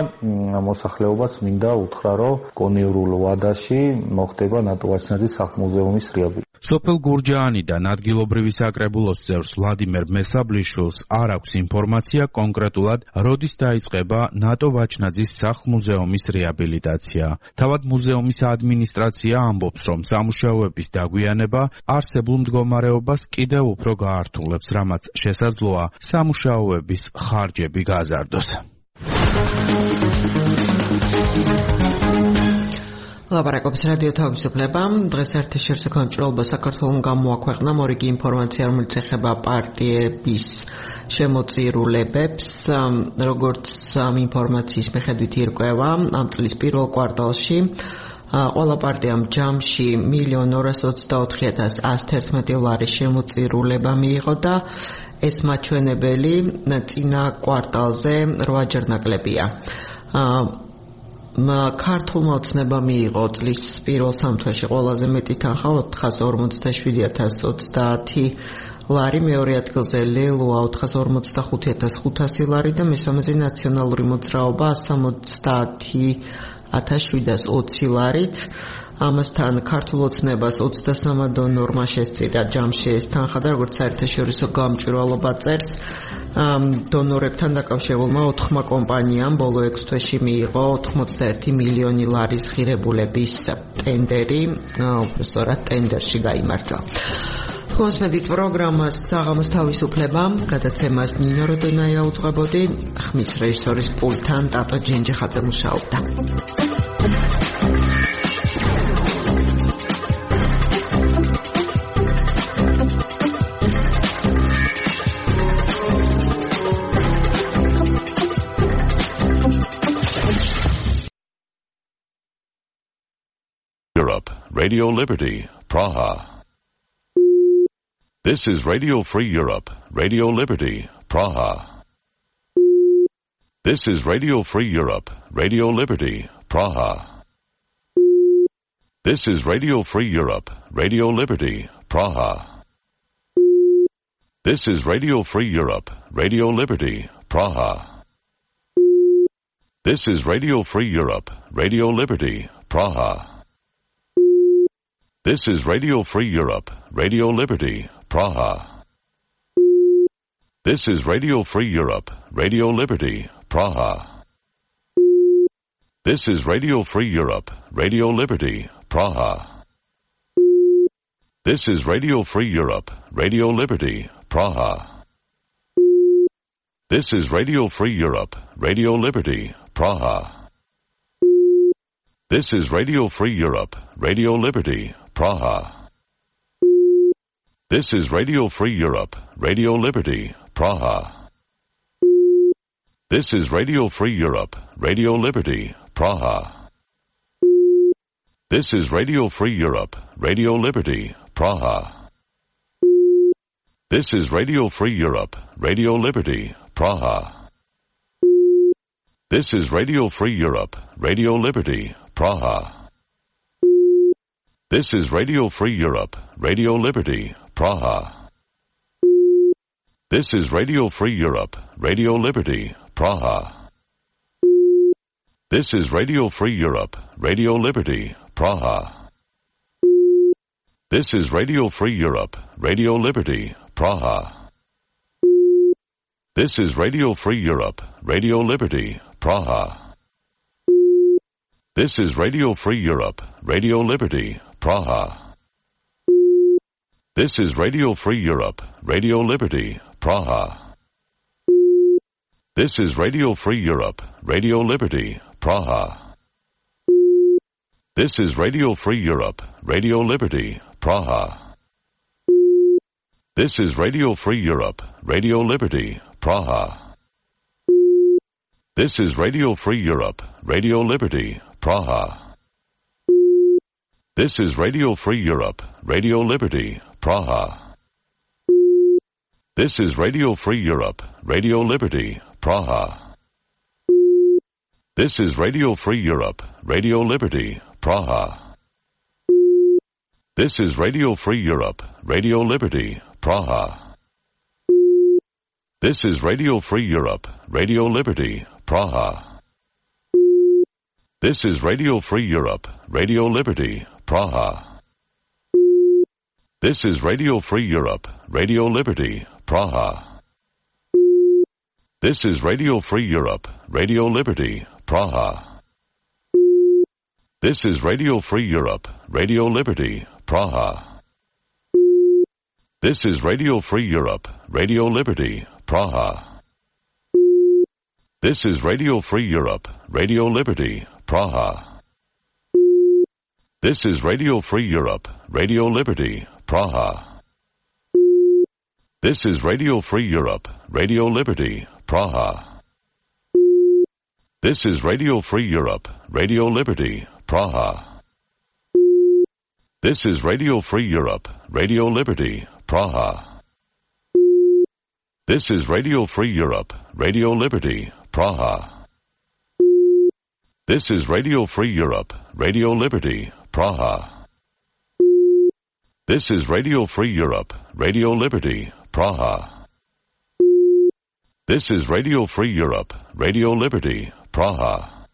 მოსახლეობას მინდა უთხრა, რომ კონიურულ ვადაში მოხდება ნატო ვაჩნაძის სახლ-მუზეუმის რეაბილიტაცია. სოფელ გურჯაანიდან ადგილობრივი საკრებულოს წევრს ვლადიმერ მესაბლიშვილს არ აქვს ინფორმაცია კონკრეტულად, როდის დაიწყება ნატო ვაჩნაძის სახლ-მუზეუმის რეაბილიტაცია. თავად მუზეუმის ადმინისტრაცია ამბობს, რომ სამუშაოების დაგვიანება არსებულ მდგომარეობას კიდევ უფრო გაართულებს, რამაც შესაძლოა სამუშაოების ხარჯები გაზარდოს. ლაპარაკობს რადიო თავისუფლება. დღეს ეთერში კონტროლობა საქართველოს გამოაქვეყნა მორიგი ინფორმაცია, რომელიც ეხება პარტიების შემოწირულებებს. როგორც ამ ინფორმაციის მიხედვით ირკვევა, ამ წლის პირველ კვარტალში ყველა პარტიამ ჯამში მილიონ ორას ოცდაოთხი ათას ასი ერთმეტი ლარის შემოწირულება მიიღო და ეს მაჩვენებელი წინა კვარტალზე რვაჯერ ნაკლებია. ქართულმა ოცნებამ მიიღო წლის პირველ სამთვეში ყველაზე მეტი თანხა ოთხას ორმოცდაშვიდი ათას ოცდაათი ლარი, მეორე ადგილზე ლელოა ოთხას ორმოცდახუთი ათას ხუთასი ლარი და მესამეზე ნაციონალური მოძრაობა ასს ოცდაათი ათას შვიდას ოცი ლარით. ამასთან ქართულ ოცნებას ოცდასამ დონორმა შესწირა ჯამში ეს თანხა და როგორც საერთაშორისო გამჭვირვალობა წერს, დონორებთან დაკავშირებულმა ოთხმა კომპანიამ ბოლო ექვს თვეში მიიღო ოთხმოცდაერთი მილიონი ლარის ღირებულების ტენდერი, უბრალოდ ტენდერში გაიმარჯვა. მოსმედით პროგრამას საღამოს თავისუფლება, გადაცემას ნინო როდონაია უძღვებოდი, ხმის რეჟისორის პულტთან ტატო ჯენჯიხაძე მუშაობდა. Europe, Radio Liberty, Praha. This is Radio Free Europe, Radio Liberty, Praha. This is Radio Free Europe, Radio Liberty, Praha. This is Radio Free Europe, Radio Liberty, Praha. This is Radio Free Europe, Radio Liberty, Praha. This is Radio Free Europe, Radio Liberty, Praha. This is Radio Free Europe, Radio Liberty, Praha. This is Radio Free Europe, Radio Liberty, Praha. This is Radio Free Europe, Radio Liberty, Praha. This is Radio Free Europe, Radio Liberty, Praha. This is Radio Free Europe, Radio Liberty, Praha. This is Radio Free Europe, Radio Liberty, Praha. This is Radio Free Europe, Radio Liberty, Praha. This is Radio Free Europe, Radio Liberty, Praha. This is Radio Free Europe, Radio Liberty, Praha. This is Radio Free Europe, Radio Liberty, Praha. This is Radio Free Europe, Radio Liberty, Praha. This is Radio Free Europe, Radio Liberty, Praha. This is Radio Free Europe, Radio Liberty, Praha. This is Radio Free Europe, Radio Liberty, Praha. This is Radio Free Europe, Radio Liberty, Praha. This is Radio Free Europe, Radio Liberty, Praha. This is Radio Free Europe, Radio Liberty, Praha. This is Radio Free Europe, Radio Liberty, Praha. This is Radio Free Europe, Radio Liberty, Praha. This is Radio Free Europe, Radio Liberty, Praha. This is Radio Free Europe, Radio Liberty, Praha. This is Radio Free Europe, Radio Liberty, Praha. This is Radio Free Europe, Radio Liberty, Praha. This is Radio Free Europe, Radio Liberty, Praha. This is Radio Free Europe, Radio Liberty, Praha. This is Radio Free Europe, Radio Liberty, Praha. This is Radio Free Europe, Radio Liberty, Praha. This is Radio Free Europe, Radio Liberty, Praha. This is Radio Free Europe, Radio Liberty, Praha. This is Radio Free Europe, Radio Liberty, Praha. This is Radio Free Europe, Radio Liberty, Praha. This is Radio Free Europe, Radio Liberty, Praha. This is Radio Free Europe, Radio Liberty, Praha. This is Radio Free Europe, Radio Liberty, Praha. This is Radio Free Europe, Radio Liberty, Praha. This is Radio Free Europe, Radio Liberty, Praha. This is Radio Free Europe, Radio Liberty, Praha. This is Radio Free Europe, Radio Liberty, Praha. This is Radio Free Europe, Radio Liberty, Praha. This is Radio Free Europe, Radio Liberty, Praha. This is Radio Free Europe, Radio Liberty, Praha.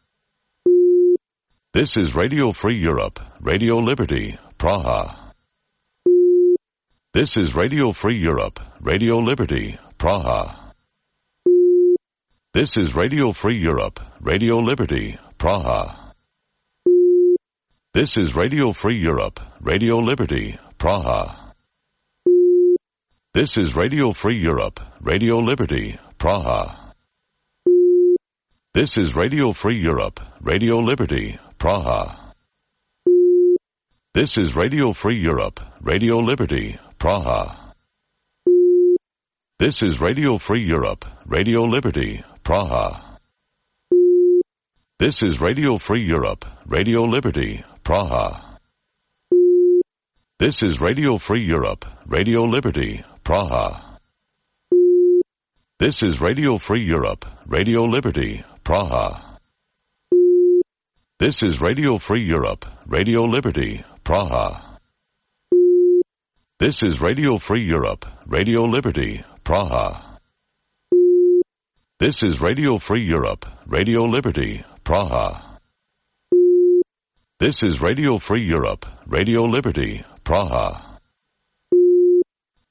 This is Radio Free Europe, Radio Liberty, Praha. This is Radio Free Europe, Radio Liberty, Praha. This is Radio Free Europe, Radio Liberty, Praha. This is Radio Free Europe, Radio Liberty, Praha. This is Radio Free Europe, Radio Liberty, Praha. This is Radio Free Europe, Radio Liberty, Praha. This is Radio Free Europe, Radio Liberty, Praha. This is Radio Free Europe, Radio Liberty, Praha. This is Radio Free Europe, Radio Liberty, Praha. This is Radio Free Europe, Radio Liberty, Praha. This is Radio Free Europe, Radio Liberty, Praha. This is Radio Free Europe, Radio Liberty, Praha. This is Radio Free Europe, Radio Liberty, Praha. This is Radio Free Europe, Radio Liberty, Praha. This is Radio Free Europe, Radio Liberty, Praha.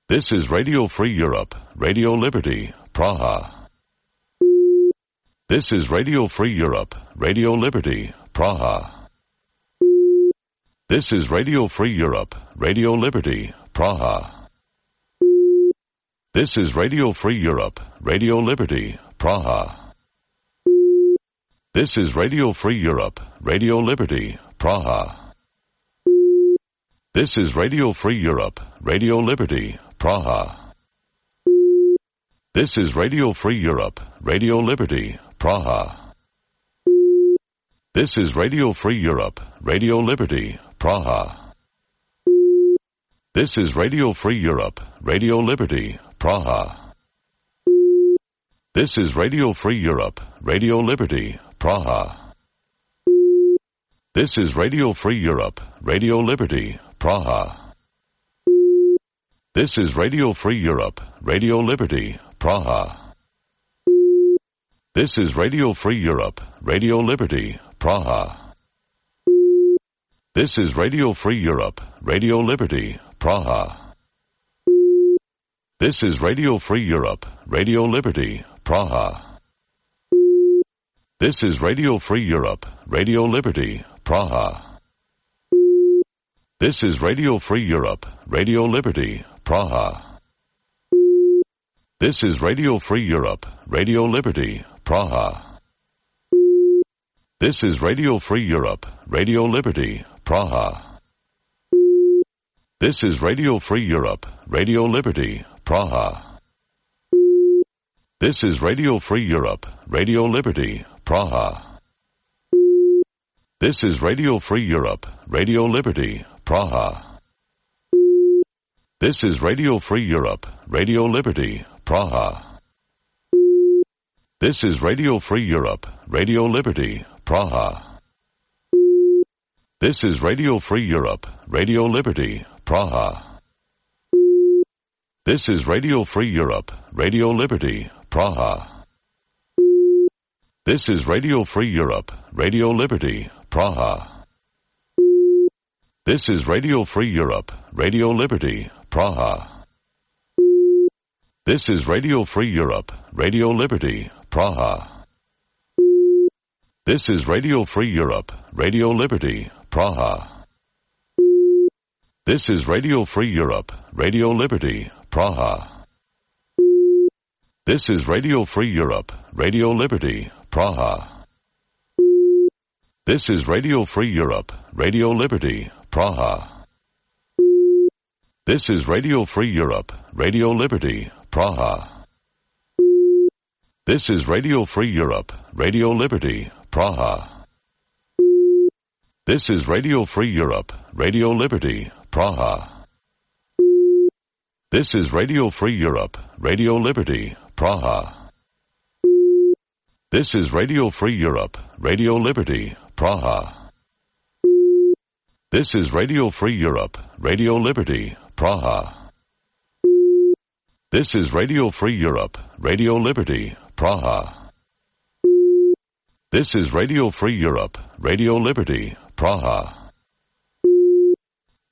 This is Radio Free Europe, Radio Liberty, Praha. This is Radio Free Europe, Radio Liberty, Praha. This is Radio Free Europe, Radio Liberty, Praha. This is Radio Free Europe, Radio Liberty, Praha. This is Radio Free Europe, Radio Liberty, Praha. This is Radio Free Europe, Radio Liberty, Praha. This is Radio Free Europe, Radio Liberty, Praha. This is Radio Free Europe, Radio Liberty, Praha. This is Radio Free Europe, Radio Liberty, Praha. This is Radio Free Europe, Radio Liberty, Praha. This is Radio Free Europe, Radio Liberty, Praha. This is Radio Free Europe, Radio Liberty, Praha. This is Radio Free Europe, Radio Liberty, Praha. This is Radio Free Europe, Radio Liberty, Praha. This is Radio Free Europe, Radio Liberty, Praha. This is Radio Free Europe, Radio Liberty, Praha. This is Radio Free Europe, Radio Liberty, Praha. This is Radio Free Europe, Radio Liberty, Praha. This is Radio Free Europe, Radio Liberty, Praha. This is Radio Free Europe, Radio Liberty, Praha. This is Radio Free Europe, Radio Liberty, Praha. This is Radio Free Europe, Radio Liberty, Praha. This is Radio Free Europe, Radio Liberty, Praha. This is Radio Free Europe, Radio Liberty, Praha. This is Radio Free Europe, Radio Liberty, Praha. This is Radio Free Europe, Radio Liberty, Praha. This is Radio Free Europe, Radio Liberty, Praha. This is Radio Free Europe, Radio Liberty, Praha. This is Radio Free Europe, Radio Liberty, Praha. This is Radio Free Europe, Radio Liberty, Praha. This is Radio Free Europe, Radio Liberty, Praha. This is Radio Free Europe, Radio Liberty, Praha. This is Radio Free Europe, Radio Liberty, Praha. This is Radio Free Europe, Radio Liberty, Praha. This is Radio Free Europe, Radio Liberty, Praha. This is Radio Free Europe, Radio Liberty, Praha. This is Radio Free Europe, Radio Liberty, Praha. This is Radio Free Europe, Radio Liberty, Praha. This is Radio Free Europe, Radio Liberty, Praha. This is Radio Free Europe, Radio Liberty, Praha. This is Radio Free Europe, Radio Liberty, Praha.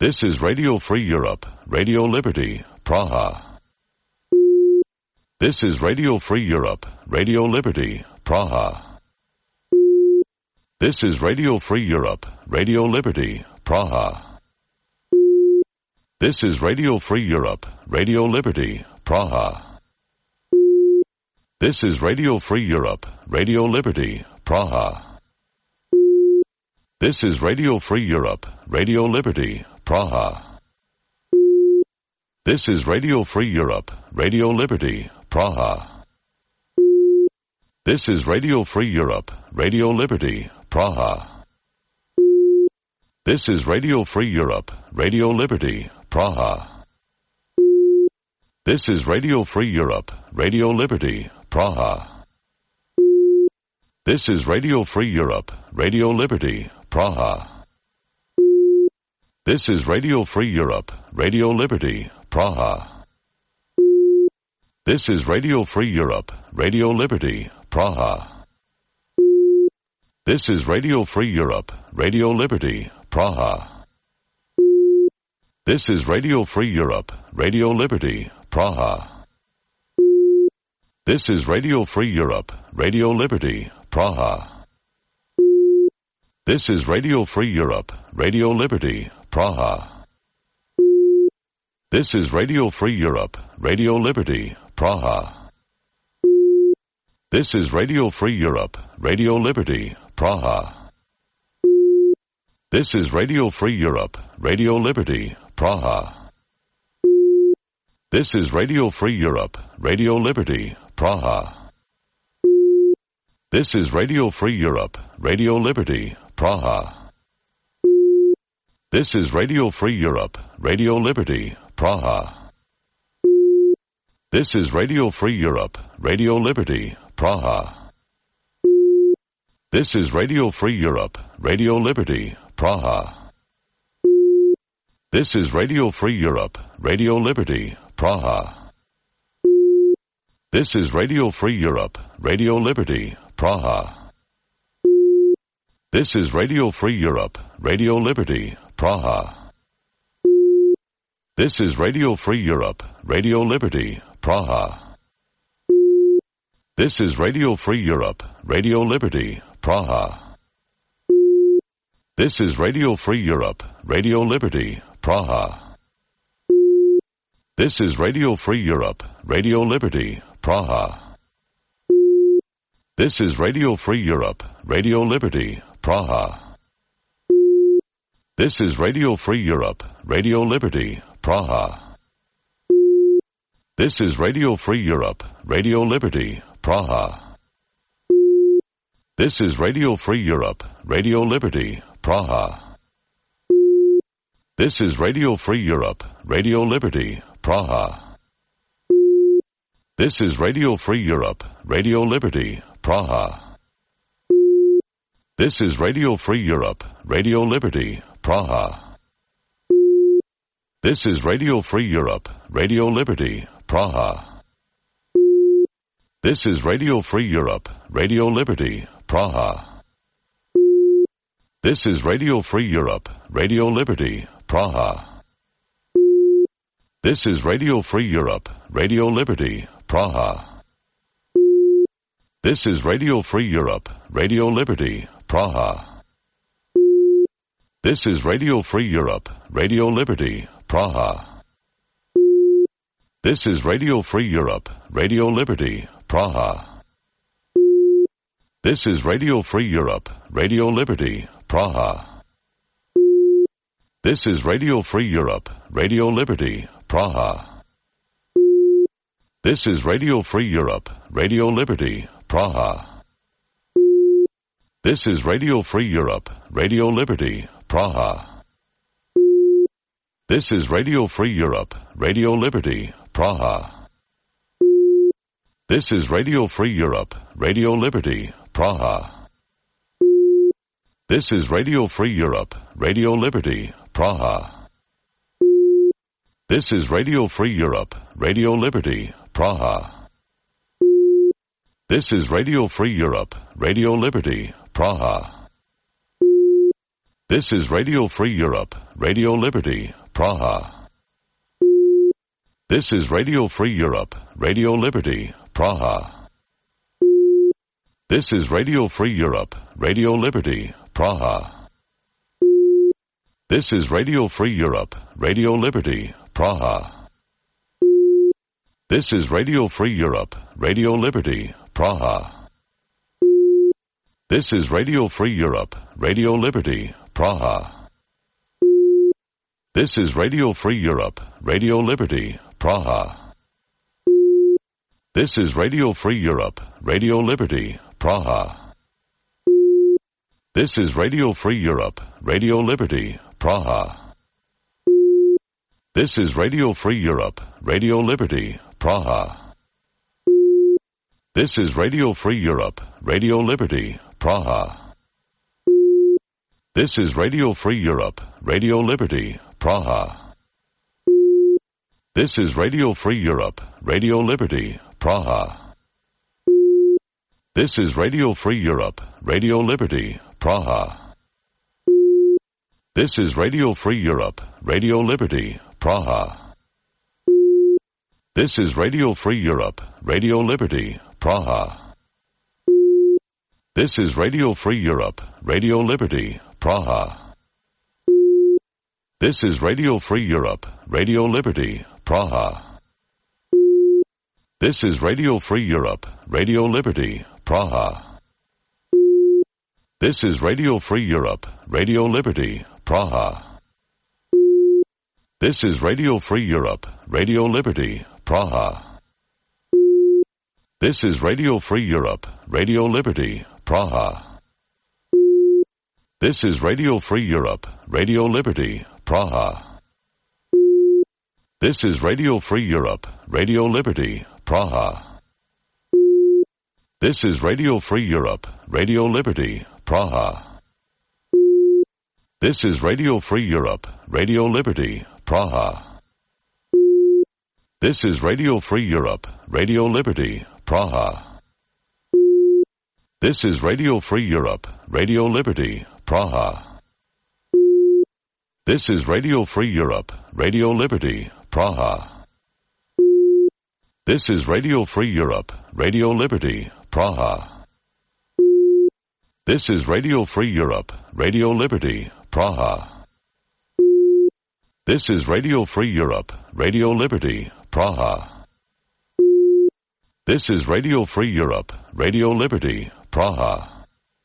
This is Radio Free Europe, Radio Liberty, Praha. This is Radio Free Europe, Radio Liberty, Praha. This is Radio Free Europe, Radio Liberty, Praha. This is Radio Free Europe, Radio Liberty, Praha. This is Radio Free Europe, Radio Liberty, Praha. This is Radio Free Europe, Radio Liberty, Praha. This is Radio Free Europe, Radio Liberty, Praha. This is Radio Free Europe, Radio Liberty, Praha. This is Radio Free Europe, Radio Liberty, Praha. This is Radio Free Europe, Radio Liberty, Praha. This is Radio Free Europe, Radio Liberty, Praha. This is Radio Free Europe, Radio Liberty, Praha. This is Radio Free Europe, Radio Liberty, Praha. This is Radio Free Europe, Radio Liberty, Praha. This is Radio Free Europe, Radio Liberty, Praha. This is Radio Free Europe, Radio Liberty, Praha. This is Radio Free Europe, Radio Liberty, Praha. This is Radio Free Europe, Radio Liberty, Praha. This is Radio Free Europe, Radio Liberty, Praha. This is Radio Free Europe, Radio Liberty, Praha. This is Radio Free Europe, Radio Liberty, Praha. This is Radio Free Europe, Radio Liberty, Praha. This is Radio Free Europe, Radio Liberty, Praha. This is Radio Free Europe, Radio Liberty, Praha. This is Radio Free Europe, Radio Liberty, Praha. This is Radio Free Europe, Radio Liberty, Praha. This is Radio Free Europe, Radio Liberty, Praha. This is Radio Free Europe, Radio Liberty, Praha. This is Radio Free Europe, Radio Liberty, Praha. This is Radio Free Europe, Radio Liberty, Praha. This is Radio Free Europe, Radio Liberty, Praha. This is Radio Free Europe, Radio Liberty, Praha. This is Radio Free Europe, Radio Liberty, Praha. This is Radio Free Europe, Radio Liberty, Praha. This is Radio Free Europe, Radio Liberty, Praha. This is Radio Free Europe, Radio Liberty, Praha. This is Radio Free Europe, Radio Liberty, Praha. This is Radio Free Europe, Radio Liberty, Praha. This is Radio Free Europe, Radio Liberty, Praha. This is Radio Free Europe, Radio Liberty, Praha. This is Radio Free Europe, Radio Liberty, Praha. This is Radio Free Europe, Radio Liberty, Praha. This is Radio Free Europe, Radio Liberty, Praha. This is Radio Free Europe, Radio Liberty, Praha. This is Radio Free Europe, Radio Liberty, Praha. This is Radio Free Europe, Radio Liberty, Praha. This is Radio Free Europe, Radio Liberty, Praha. This is Radio Free Europe, Radio Liberty, Praha. This is Radio Free Europe, Radio Liberty, Praha. This is Radio Free Europe, Radio Liberty, Praha. This is Radio Free Europe, Radio Liberty, Praha. This is Radio Free Europe, Radio Liberty, Praha. This is Radio Free Europe, Radio Liberty, Praha. This is Radio Free Europe, Radio Liberty, Praha. This is Radio Free Europe, Radio Liberty, Praha. This is Radio Free Europe, Radio Liberty, Praha. This is Radio Free Europe, Radio Liberty, Praha. This is Radio Free Europe, Radio Liberty, Praha. This is Radio Free Europe, Radio Liberty, Praha. This is Radio Free Europe, Radio Liberty, Praha. This is Radio Free Europe, Radio Liberty, Praha. This is Radio Free Europe, Radio Liberty, Praha. This is Radio Free Europe, Radio Liberty, Praha. This is Radio Free Europe, Radio Liberty, Praha. This is Radio Free Europe, Radio Liberty, Praha. This is Radio Free Europe, Radio Liberty, Praha. This is Radio Free Europe, Radio Liberty, Praha. This is Radio Free Europe, Radio Liberty, Praha. This is Radio Free Europe, Radio Liberty, Praha. This is Radio Free Europe, Radio Liberty, Praha. This is Radio Free Europe, Radio Liberty, Praha. This is Radio Free Europe, Radio Liberty, Praha. This is Radio Free Europe, Radio Liberty, Praha. This is Radio Free Europe, Radio Liberty, Praha. This is Radio Free Europe, Radio Liberty, Praha. This is Radio Free Europe, Radio Liberty, Praha. This is Radio Free Europe, Radio Liberty, Praha. This is Radio Free Europe, Radio Liberty, Praha. This is Radio Free Europe, Radio Liberty, Praha. This is Radio Free Europe, Radio Liberty, Praha. This is Radio Free Europe, Radio Liberty, Praha. This is Radio Free Europe, Radio Liberty, Praha. This is Radio Free Europe, Radio Liberty, Praha. This is Radio Free Europe, Radio Liberty, Praha. This is Radio Free Europe, Radio Liberty, Praha. This is Radio Free Europe, Radio Liberty, Praha. This is Radio Free Europe, Radio Liberty, Praha. This is Radio Free Europe, Radio Liberty, Praha.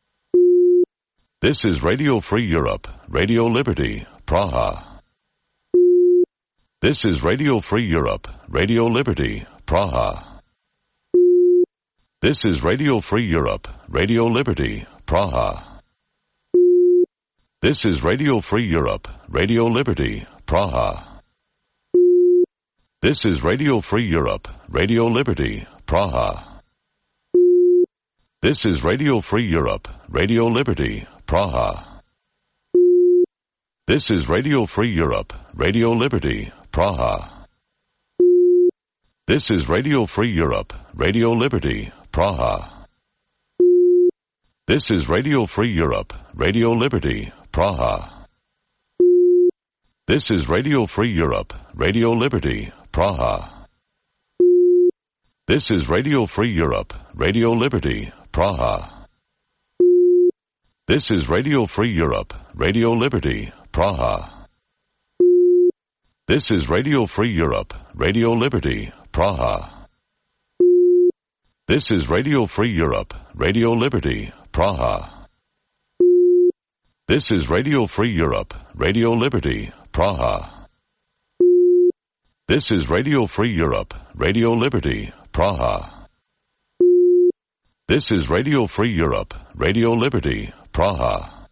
This is Radio Free Europe, Radio Liberty, Praha. This is Radio Free Europe, Radio Liberty, Praha. This is Radio Free Europe, Radio Liberty, Praha. This is Radio Free Europe, Radio Liberty, Praha. This is Radio Free Europe, Radio Liberty, Praha. This is Radio Free Europe, Radio Liberty, Praha. This is Radio Free Europe, Radio Liberty, Praha. This is Radio Free Europe, Radio Liberty, Praha. This is Radio Free Europe, Radio Liberty, Praha. This is Radio Free Europe, Radio Liberty, Praha. This is Radio Free Europe, Radio Liberty, Praha. This is Radio Free Europe, Radio Liberty, Praha. This is Radio Free Europe, Radio Liberty, Praha. This is Radio Free Europe, Radio Liberty, Praha. This is Radio Free Europe, Radio Liberty, Praha. This is Radio Free Europe, Radio Liberty, Praha. This is Radio Free Europe, Radio Liberty, Praha.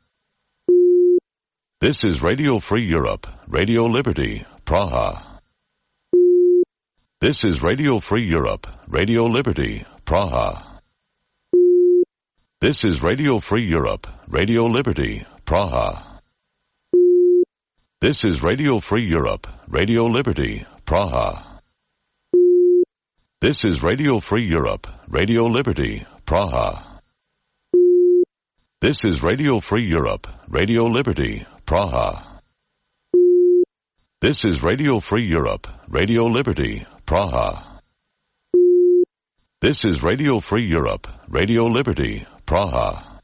This is Radio Free Europe, Radio Liberty, Praha. This is Radio Free Europe, Radio Liberty, Praha. This is Radio Free Europe, Radio Liberty, Praha. This is Radio Free Europe, Radio Liberty, Praha. This is Radio Free Europe, Radio Liberty, Praha. This is Radio Free Europe, Radio Liberty, Praha. This is Radio Free Europe, Radio Liberty, Praha. This is Radio Free Europe, Radio Liberty, Praha.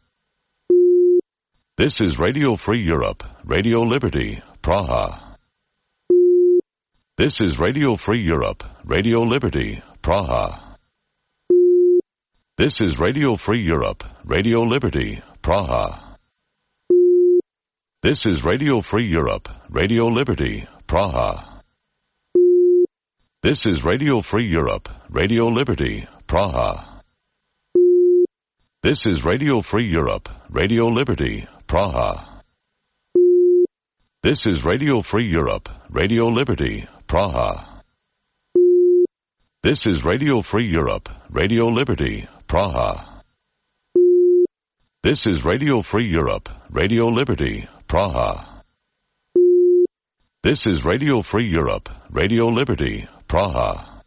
This is Radio Free Europe, Radio Liberty, Praha. This is Radio Free Europe, Radio Liberty, Praha. This is Radio Free Europe, Radio Liberty, Praha. This is Radio Free Europe, Radio Liberty, Praha. This is Radio Free Europe, Radio Liberty, Praha. This is Radio Free Europe, Radio Liberty, Praha. This is Radio Free Europe, Radio Liberty, Praha. This is Radio Free Europe, Radio Liberty, Praha. This is Radio Free Europe, Radio Liberty, Praha. This is Radio Free Europe, Radio Liberty, Praha.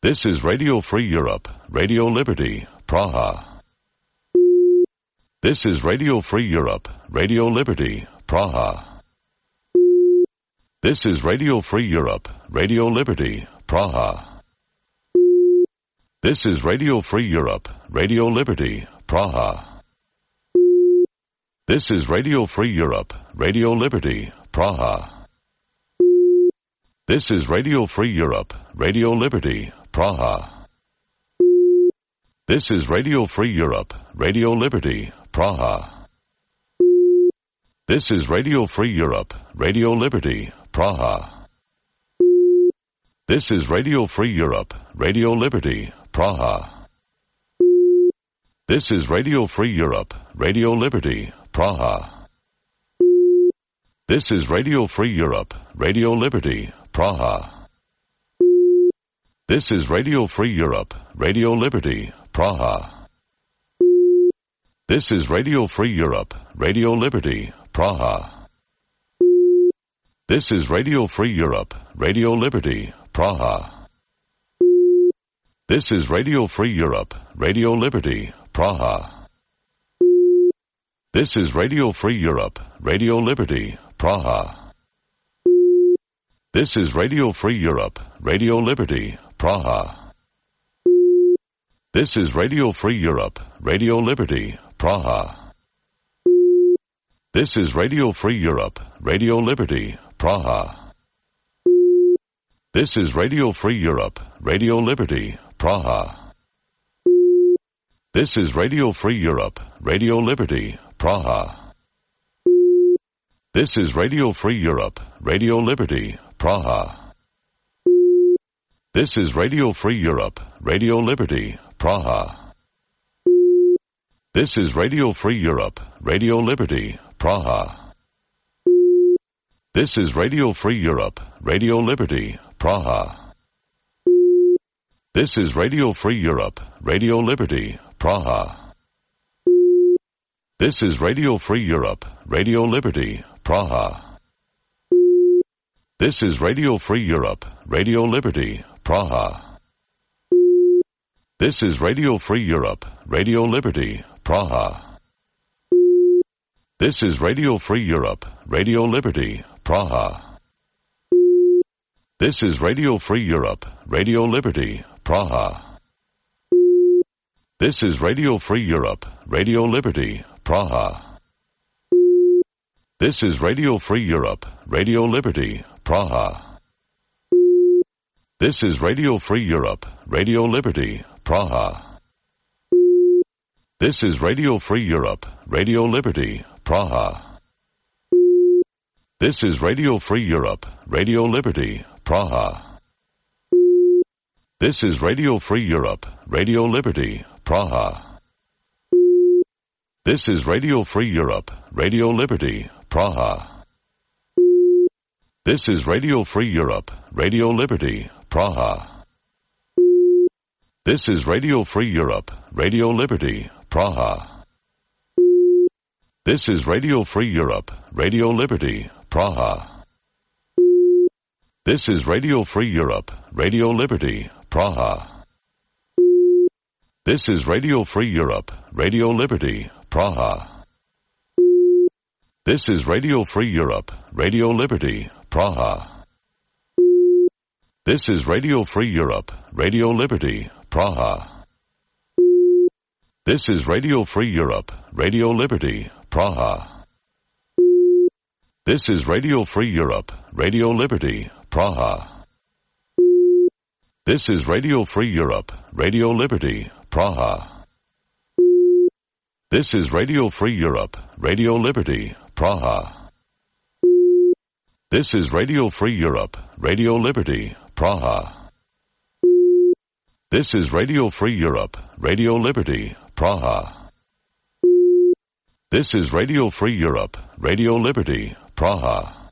This is Radio Free Europe, Radio Liberty, Praha. This is Radio Free Europe, Radio Liberty, Praha. This is Radio Free Europe, Radio Liberty, Praha. This is Radio Free Europe, Radio Liberty, Praha. This is Radio Free Europe, Radio Liberty, Praha. This is Radio Free Europe, Radio Liberty, Praha. This is Radio Free Europe, Radio Liberty, Praha. This is Radio Free Europe, Radio Liberty, Praha. This is Radio Free Europe, Radio Liberty, Praha. This is Radio Free Europe, Radio Liberty, Praha. This is Radio Free Europe, Radio Liberty, Praha. This is Radio Free Europe, Radio Liberty, Praha. This is Radio Free Europe, Radio Liberty, Praha. This is Radio Free Europe, Radio Liberty, Praha. This is Radio Free Europe, Radio Liberty, Praha. This is Radio Free Europe, Radio Liberty, Praha. This is Radio Free Europe, Radio Liberty, Praha. This is Radio Free Europe, Radio Liberty, Praha. This is Radio Free Europe, Radio Liberty, Praha. This is Radio Free Europe, Radio Liberty, Praha. This is Radio Free Europe, Radio Liberty, Praha. This is Radio Free Europe, Radio Liberty, Praha. This is Radio Free Europe, Radio Liberty, Praha. This is Radio Free Europe, Radio Liberty, Praha. This is Radio Free Europe, Radio Liberty, Praha. This is Radio Free Europe, Radio Liberty, Praha. This is Radio Free Europe, Radio Liberty, Praha. This is Radio Free Europe, Radio Liberty, Praha. This is Radio Free Europe, Radio Liberty, Praha. This is Radio Free Europe, Radio Liberty, Praha. This is Radio Free Europe, Radio Liberty, Praha. This is Radio Free Europe, Radio Liberty, Praha. This is Radio Free Europe, Radio Liberty, Praha. This is Radio Free Europe, Radio Liberty, Praha. This is Radio Free Europe, Radio Liberty, Praha. This is Radio Free Europe, Radio Liberty, Praha. This is Radio Free Europe, Radio Liberty, Praha. This is Radio Free Europe, Radio Liberty, Praha. This is Radio Free Europe, Radio Liberty, Praha. This is Radio Free Europe, Radio Liberty, Praha. This is Radio Free Europe, Radio Liberty, Praha. This is Radio Free Europe, Radio Liberty, Praha. This is Radio Free Europe, Radio Liberty, Praha. This is Radio Free Europe, Radio Liberty, Praha. This is Radio Free Europe, Radio Liberty, Praha. This is Radio Free Europe, Radio Liberty, Praha. This is Radio Free Europe, Radio Liberty, Praha. This is Radio Free Europe, Radio Liberty, Praha. This is Radio Free Europe, Radio Liberty, Praha. This is Radio Free Europe, Radio Liberty, Praha. This is Radio Free Europe, Radio Liberty, Praha. This is Radio Free Europe, Radio Liberty, Praha.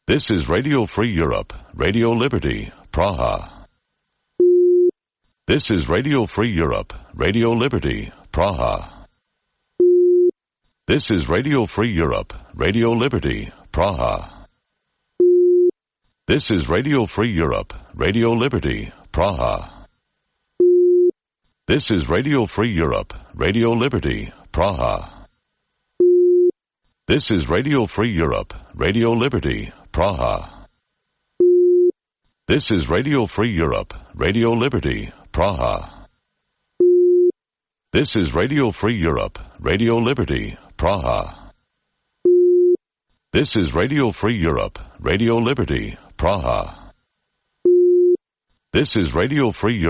This is Radio Free Europe, Radio Liberty, Praha. This is Radio Free Europe, Radio Liberty, Praha. This is Radio Free Europe, Radio Liberty, Praha. This is Radio Free Europe, Radio Liberty, Praha. This is Radio Free Europe, Radio Liberty, Praha. This is Radio Free Europe, Radio Liberty, Praha. This is Radio Free Europe, Radio Liberty, Praha. This is Radio Free Europe, Radio Liberty, Praha. This is Radio Free Europe, Radio Liberty, Praha. This is Radio Free Europe,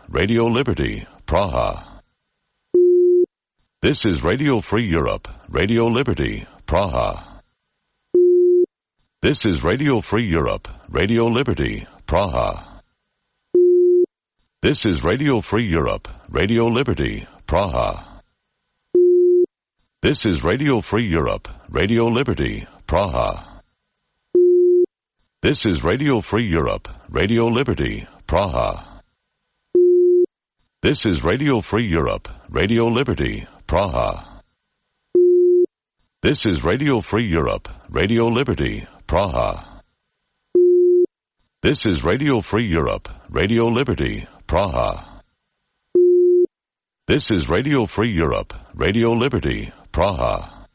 Radio Liberty, Praha. This is Radio Free Europe, Radio Liberty, Praha. This is Radio Free Europe, Radio Liberty, Praha. This is Radio Free Europe, Radio Liberty, Praha. This is Radio Free Europe, Radio Liberty, Praha. This is Radio Free Europe, Radio Liberty, Praha. This is Radio Free Europe, Radio Liberty, Praha. This is Radio Free Europe, Radio Liberty, Praha. This is Radio Free Europe, Radio Liberty, Praha. This is Radio Free Europe, Radio Liberty, Praha.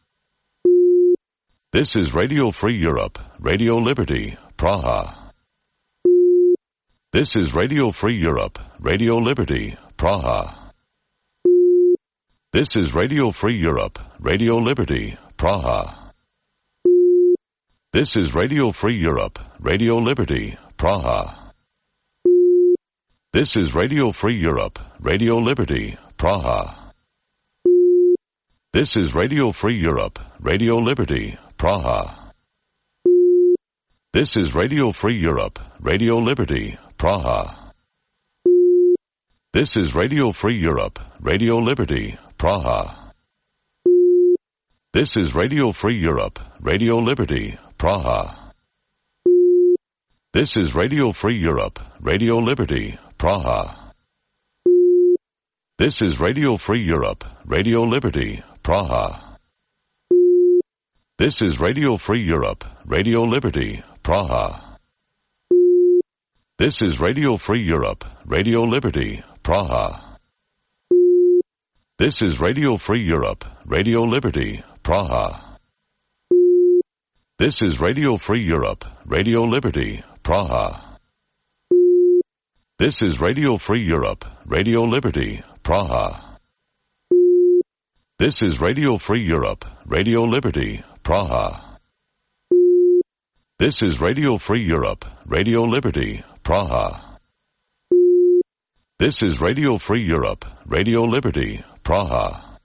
This is Radio Free Europe, Radio Liberty, Praha. This is Radio Free Europe, Radio Liberty, Praha. This is Radio Free Europe, Radio Liberty, Praha. This is Radio Free Europe, Radio Liberty, Praha. This is Radio Free Europe, Radio Liberty, Praha. This is Radio Free Europe, Radio Liberty, Praha. This is Radio Free Europe, Radio Liberty, Praha. This is Radio Free Europe, Radio Liberty, Praha. This is Radio Free Europe, Radio Liberty, Praha. This is Radio Free Europe, Radio Liberty, Praha. This is Radio Free Europe, Radio Liberty, Praha. This is Radio Free Europe, Radio Liberty, Praha. This is Radio Free Europe, Radio Liberty, Praha. This is Radio Free Europe, Radio Liberty, Praha. This is Radio Free Europe, Radio Liberty, Praha. This is Radio Free Europe, Radio Liberty, Praha. This is Radio Free Europe, Radio Liberty, Praha. This is Radio Free Europe, Radio Liberty, Praha. This is Radio Free Europe, Radio Liberty, Praha.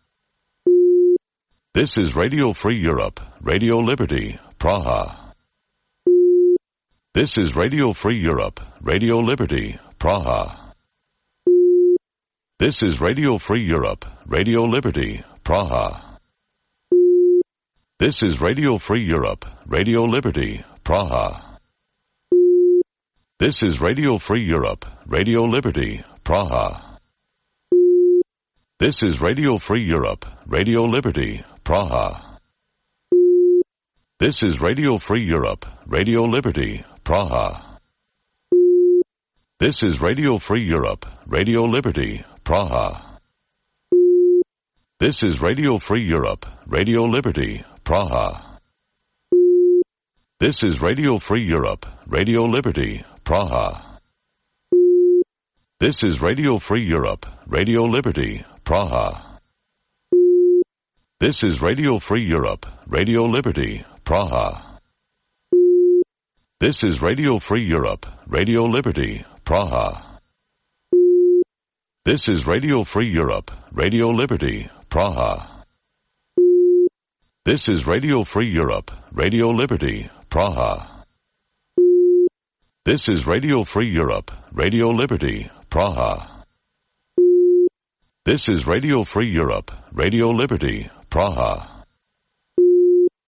This is Radio Free Europe, Radio Liberty, Praha. This is Radio Free Europe, Radio Liberty, Praha. This is Radio Free Europe, Radio Liberty, Praha. This is Radio Free Europe, Radio Liberty, Praha. This is Radio Free Europe, Radio Liberty, Praha. This is Radio Free Europe, Radio Liberty, Praha. This is Radio Free Europe, Radio Liberty, Praha. This is Radio Free Europe, Radio Liberty, Praha. This is Radio Free Europe, Radio Liberty, Praha. This is Radio Free Europe, Radio Liberty, Praha. This is Radio Free Europe, Radio Liberty, Praha. This is Radio Free Europe, Radio Liberty, Praha. This is Radio Free Europe, Radio Liberty, Praha. This is Radio Free Europe, Radio Liberty, Praha. This is Radio Free Europe, Radio Liberty, Praha. This is Radio Free Europe, Radio Liberty, Praha. This is Radio Free Europe, Radio Liberty, Praha.